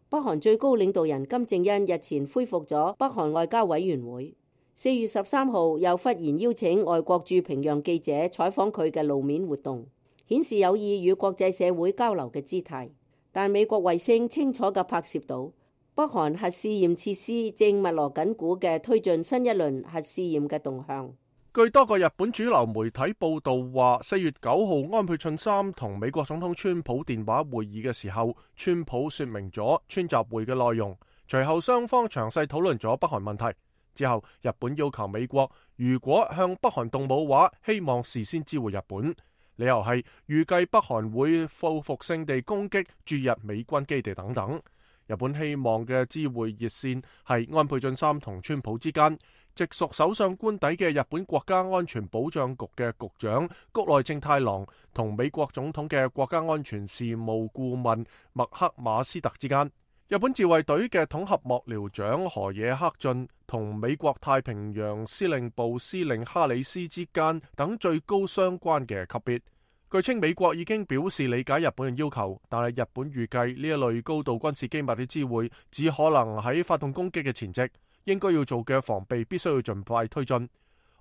北韓最高領導人金正恩日前恢復咗北韓外交委員會。4月13號又忽然邀請外國駐平壤記者採訪佢嘅路面活動，顯示有意與國際社會交流嘅姿態。但美國衛星清楚地拍攝到北韓核試驗設施正密鑼緊鼓嘅推進新一輪核試驗嘅動向。據多個日本主流媒體報道話，4月9號安倍晉三同美國總統川普電話會議嘅時候，川普說明咗川習會嘅內容。隨後雙方詳細討論咗北韓問題。之後，日本要求美國如果向北韓動武話，希望事先知會日本。理由係預計北韓會報復性地攻擊駐日美軍基地等等。日本希望嘅知會熱線係安倍晉三同川普之間，直屬首相官邸嘅日本國家安全保障局嘅局長谷內正太郎同美國總統嘅國家安全事務顧問麥克馬斯特之間，日本自衛隊嘅統合幕僚長河野克俊同美國太平洋司令部司令哈里斯之間等最高相關嘅級別。據稱美國已經表示理解日本嘅要求，但係日本預計呢一類高度軍事機密嘅知會只可能喺發動攻擊嘅前夕，應該要做嘅防備必須要盡快推進。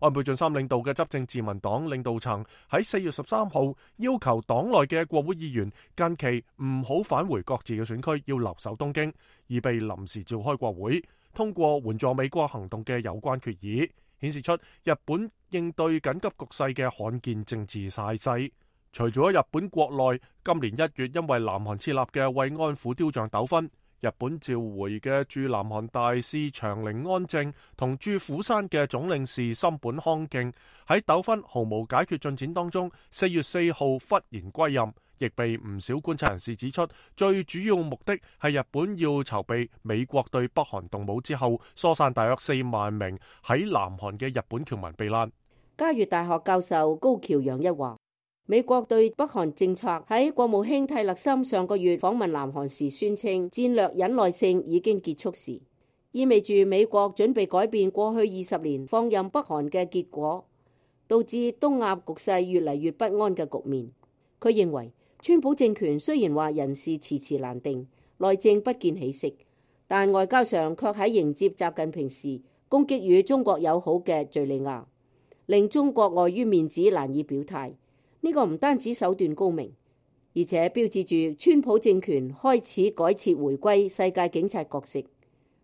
安倍晉三領導嘅執政自民黨領導層喺4月13號要求黨內嘅國會議員近期唔好返回各自嘅選區，要留守東京，而被臨時召開國會，通過援助美國行動嘅有關決議，顯示出日本應對緊急局勢嘅罕見政治態勢。除咗日本國內今年1月因為南韓設立嘅慰安婦雕像糾紛，日本召回嘅駐南韓大使長陵安正同駐釜山嘅總領事森本康敬喺糾紛毫無解決進展當中，4月4號忽然歸任，亦被唔少觀察人士指出，最主要目的係日本要籌備美國對北韓動武之後，疏散大約4萬名喺南韓嘅日本僑民避難。嘉悦大學教授高橋洋一話，美國對北韓政策喺國務卿蒂勒森上個月訪問南韓時宣稱戰略忍耐性已經結束時，意味住美國準備改變過去20年放任北韓嘅結果，導致東亞局勢越嚟越不安嘅局面。佢認為川普政權雖然話人事遲遲難定，內政不見起色，但外交上卻喺迎接習近平時攻擊與中國友好嘅敘利亞，令中國礙於面子難以表態。呢個唔單止手段高明，而且標誌住川普政權開始改設回歸世界警察角色。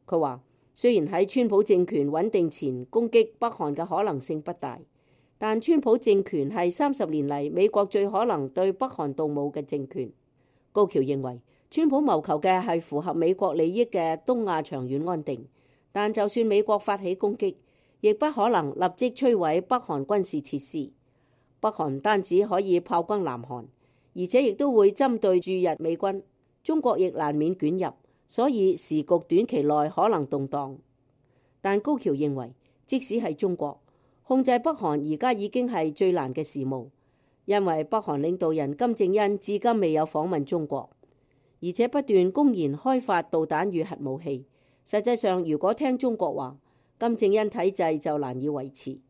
佢話，雖然喺川普政權穩定前攻擊北韓嘅可能性不大，但川普政權係30年嚟美國最可能對北韓動武嘅政權。高橋認為，川普謀求嘅係符合美國利益嘅東亞長遠安定，但就算美國發起攻擊，亦不可能立即摧毀北韓軍事設施。北韓唔單止可以炮轟南韓，而且亦都會針對駐日美軍，中國亦難免捲入，所以時局短期內可能動盪。但高橋認為，即使係中國控制北韓，而家已經係最難嘅事務，因為北韓領導人金正恩至今未有訪問中國，而且不斷公然開發導彈與核武器。實際上，如果聽中國話，金正恩體制就難以維持。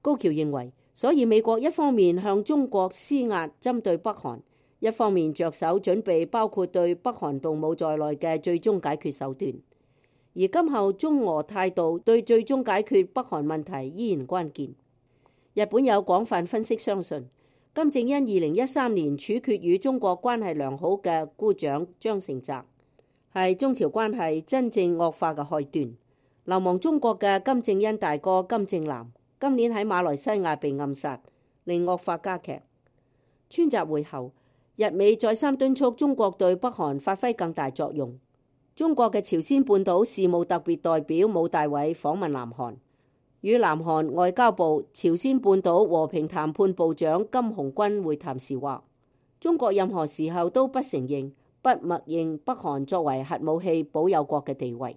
高橋認為，所以美國一方面向中國施壓針對北韓，一方面着手準備包括對北韓動武在內嘅最終解決手段。而今後中俄態度對最終解決北韓問題依然關鍵。日本有廣泛分析相信，金正恩2013年處決與中國關係良好嘅姑丈張成澤，係中朝關係真正惡化嘅開端。流亡中國嘅金正恩大哥金正男今年喺馬來西亞被暗殺，令惡化加劇。川習會後，日美再三敦促中國對北韓發揮更大作用。中國嘅朝鮮半島事務特別代表武大偉訪問南韓，與南韓外交部朝鮮半島和平談判部長金洪軍會談時話，中國任何時候都不承認、不默認北韓作為核武器保有國嘅地位。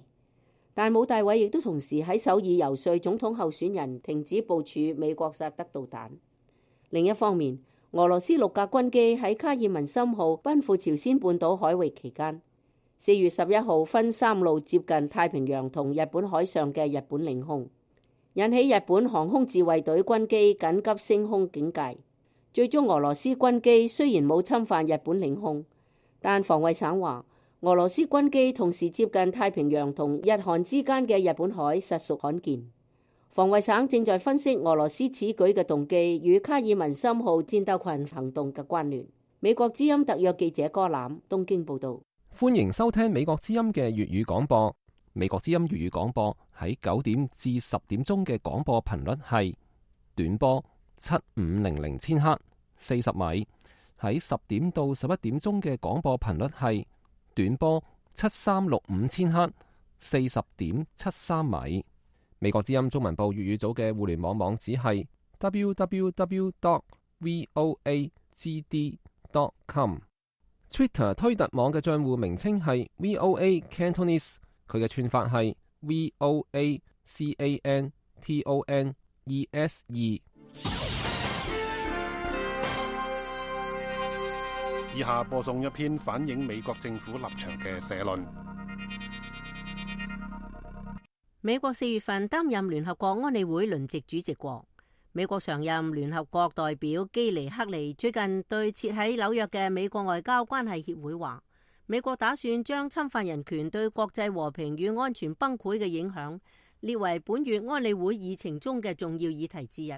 但武大偉亦都同時喺首爾遊說總統候選人停止部署美國薩德導彈。另一方面，俄羅斯6架軍機喺卡爾文森號奔赴朝鮮半島海域期間，4月11號分3路接近太平洋同日本海上嘅日本領空，引起日本航空自衛隊軍機緊急升空警戒。最終俄羅斯軍機雖然冇侵犯日本領空，但防衛省話，俄羅斯軍機同時接近太平洋同日韓之間嘅日本海實屬罕見。防衛省正在分析俄羅斯此舉嘅動機與卡爾文森號戰鬥群行動嘅關聯。美國之音特約記者柯攬東京報道。歡迎收聽美國之音嘅粵語廣播。美國之音粵語廣播喺9點至10點鐘嘅廣播頻率係短波7500千赫40米，喺10點到11點鐘嘅廣播頻率係短波7365千赫40.73米。美國之音中文部粵語組嘅互聯網網址係 www.voagd.com。Twitter 推特網嘅賬戶名稱係 VOA Cantonese， 佢嘅串法係 TONESE。以下播送一篇反映美國政府立場嘅社論。美國4月份擔任聯合國安理會輪值主席國。美國常任聯合國代表基尼克利最近對設喺紐約嘅美國外交關係協會話，美國打算將侵犯人權對國際和平與安全崩潰嘅影響列為本月安理會議程中嘅重要議題之一。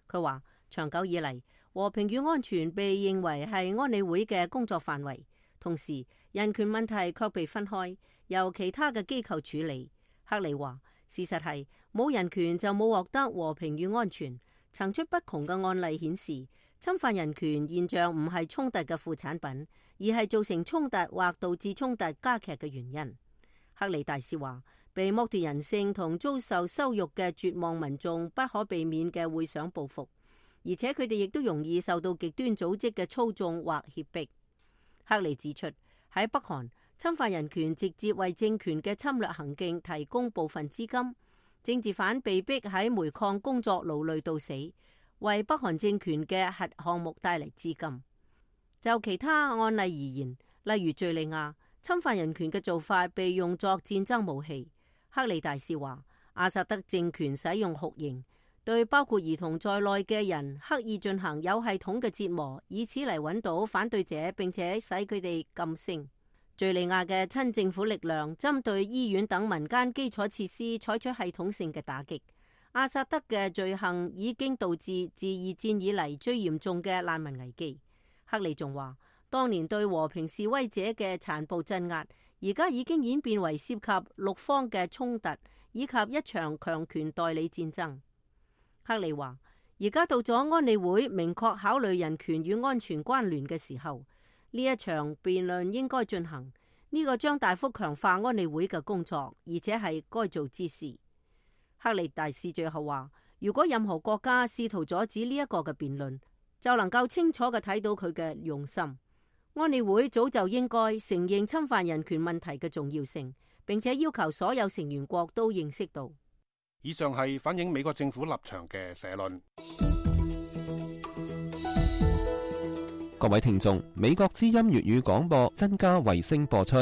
佢話，長久以嚟，和平與安全被認為係安理會嘅工作範圍，同時人權問題卻被分開，由其他嘅機構處理。克利話，事實係冇人權就冇獲得和平與安全。層出不窮嘅案例顯示，侵犯人權現象唔係衝突嘅副產品，而係造成衝突或導致衝突加劇嘅原因。克利大使話，被剝奪人性同遭受羞辱嘅絕望民眾不可避免嘅會想報復，而且佢哋亦都容易受到極端組織嘅操縱或脅迫。克利指出，喺北韓，侵犯人權直接為政權嘅侵略行徑提供部分資金。政治犯被逼喺煤礦工作勞累到死，為北韓政權嘅核項目帶嚟資金。就其他案例而言，例如敘利亞，侵犯人權嘅做法被用作戰爭武器。克利大使話，阿薩德政權使用酷刑，對包括兒童在內嘅人刻意進行有系統嘅折磨，以此嚟揾到反對者並且使佢哋噤聲。敘利亞嘅親政府力量針對醫院等民間基礎設施採取系統性嘅打擊。阿薩德嘅罪行已經導致自二戰以嚟最嚴重嘅難民危機。克利仲話，當年對和平示威者嘅殘暴鎮壓，而家已經演變為涉及6方嘅衝突，以及一場強權代理戰爭。克利話，而家到咗安理會明確考慮人權與安全關聯嘅時候。呢一場辯論應該進行，呢個將大幅強化安理會嘅工作，而且係該做之事。克利大使最後話，如果任何國家試圖阻止呢一個嘅辯論，就能夠清楚嘅睇到佢嘅用心。安理會早就應該承認侵犯人權問題嘅重要性，並且要求所有成員國都認識到。以上係反映美國政府立場嘅社論。各位聽眾，美國之音粵語廣播增加衛星播出。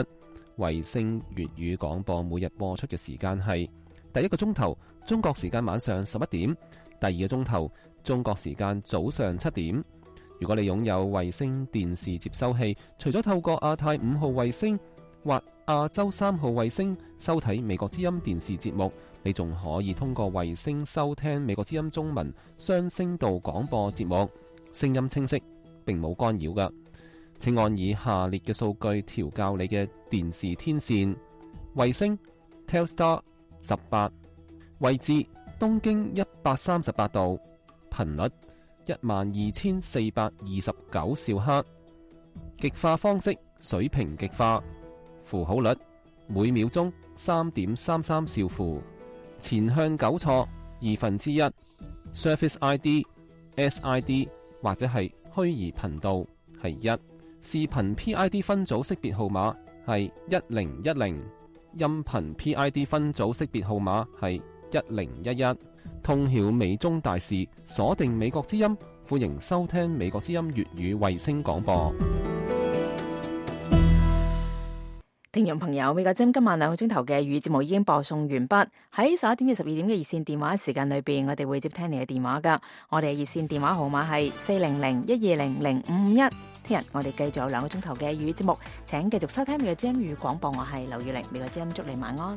衛星粵語廣播每日播出嘅時間係第一個鐘頭中國時間晚上11點，第二個鐘頭中國時間早上7點。如果你擁有衛星電視接收器，除咗透過亞太5號衛星或亞洲3號衛星收睇美國之音電視節目，你仲可以通過衛星收聽美國之音中文雙聲道廣播節目，聲音清晰，並冇干擾㗎。請按以下列嘅數據調校你嘅電視天線：衛星 Telstar 18，位置東經138度，頻率12429兆赫，極化方式水平極化，符號率每秒鐘3.33兆符，前向糾錯1/2， Surface ID SID 或者係虛擬頻道係1，視頻 PID 分組識別號碼係1010，音頻 PID 分組識別號碼係1011。通曉美中大事，鎖定美國之音，歡迎收聽美國之音粵語衛星廣播。聽眾朋友，美國之音今晚2個鐘頭嘅粵語節目已經播送完畢。喺11點至12點嘅熱線電話時間裏邊，我哋會接聽你嘅電話噶。我哋嘅熱線電話號碼係400-120-0551。聽日我哋繼續有2個鐘頭嘅粵語節目，請繼續收聽美國之音粵語廣播。我係劉月玲，美國之音祝你晚安。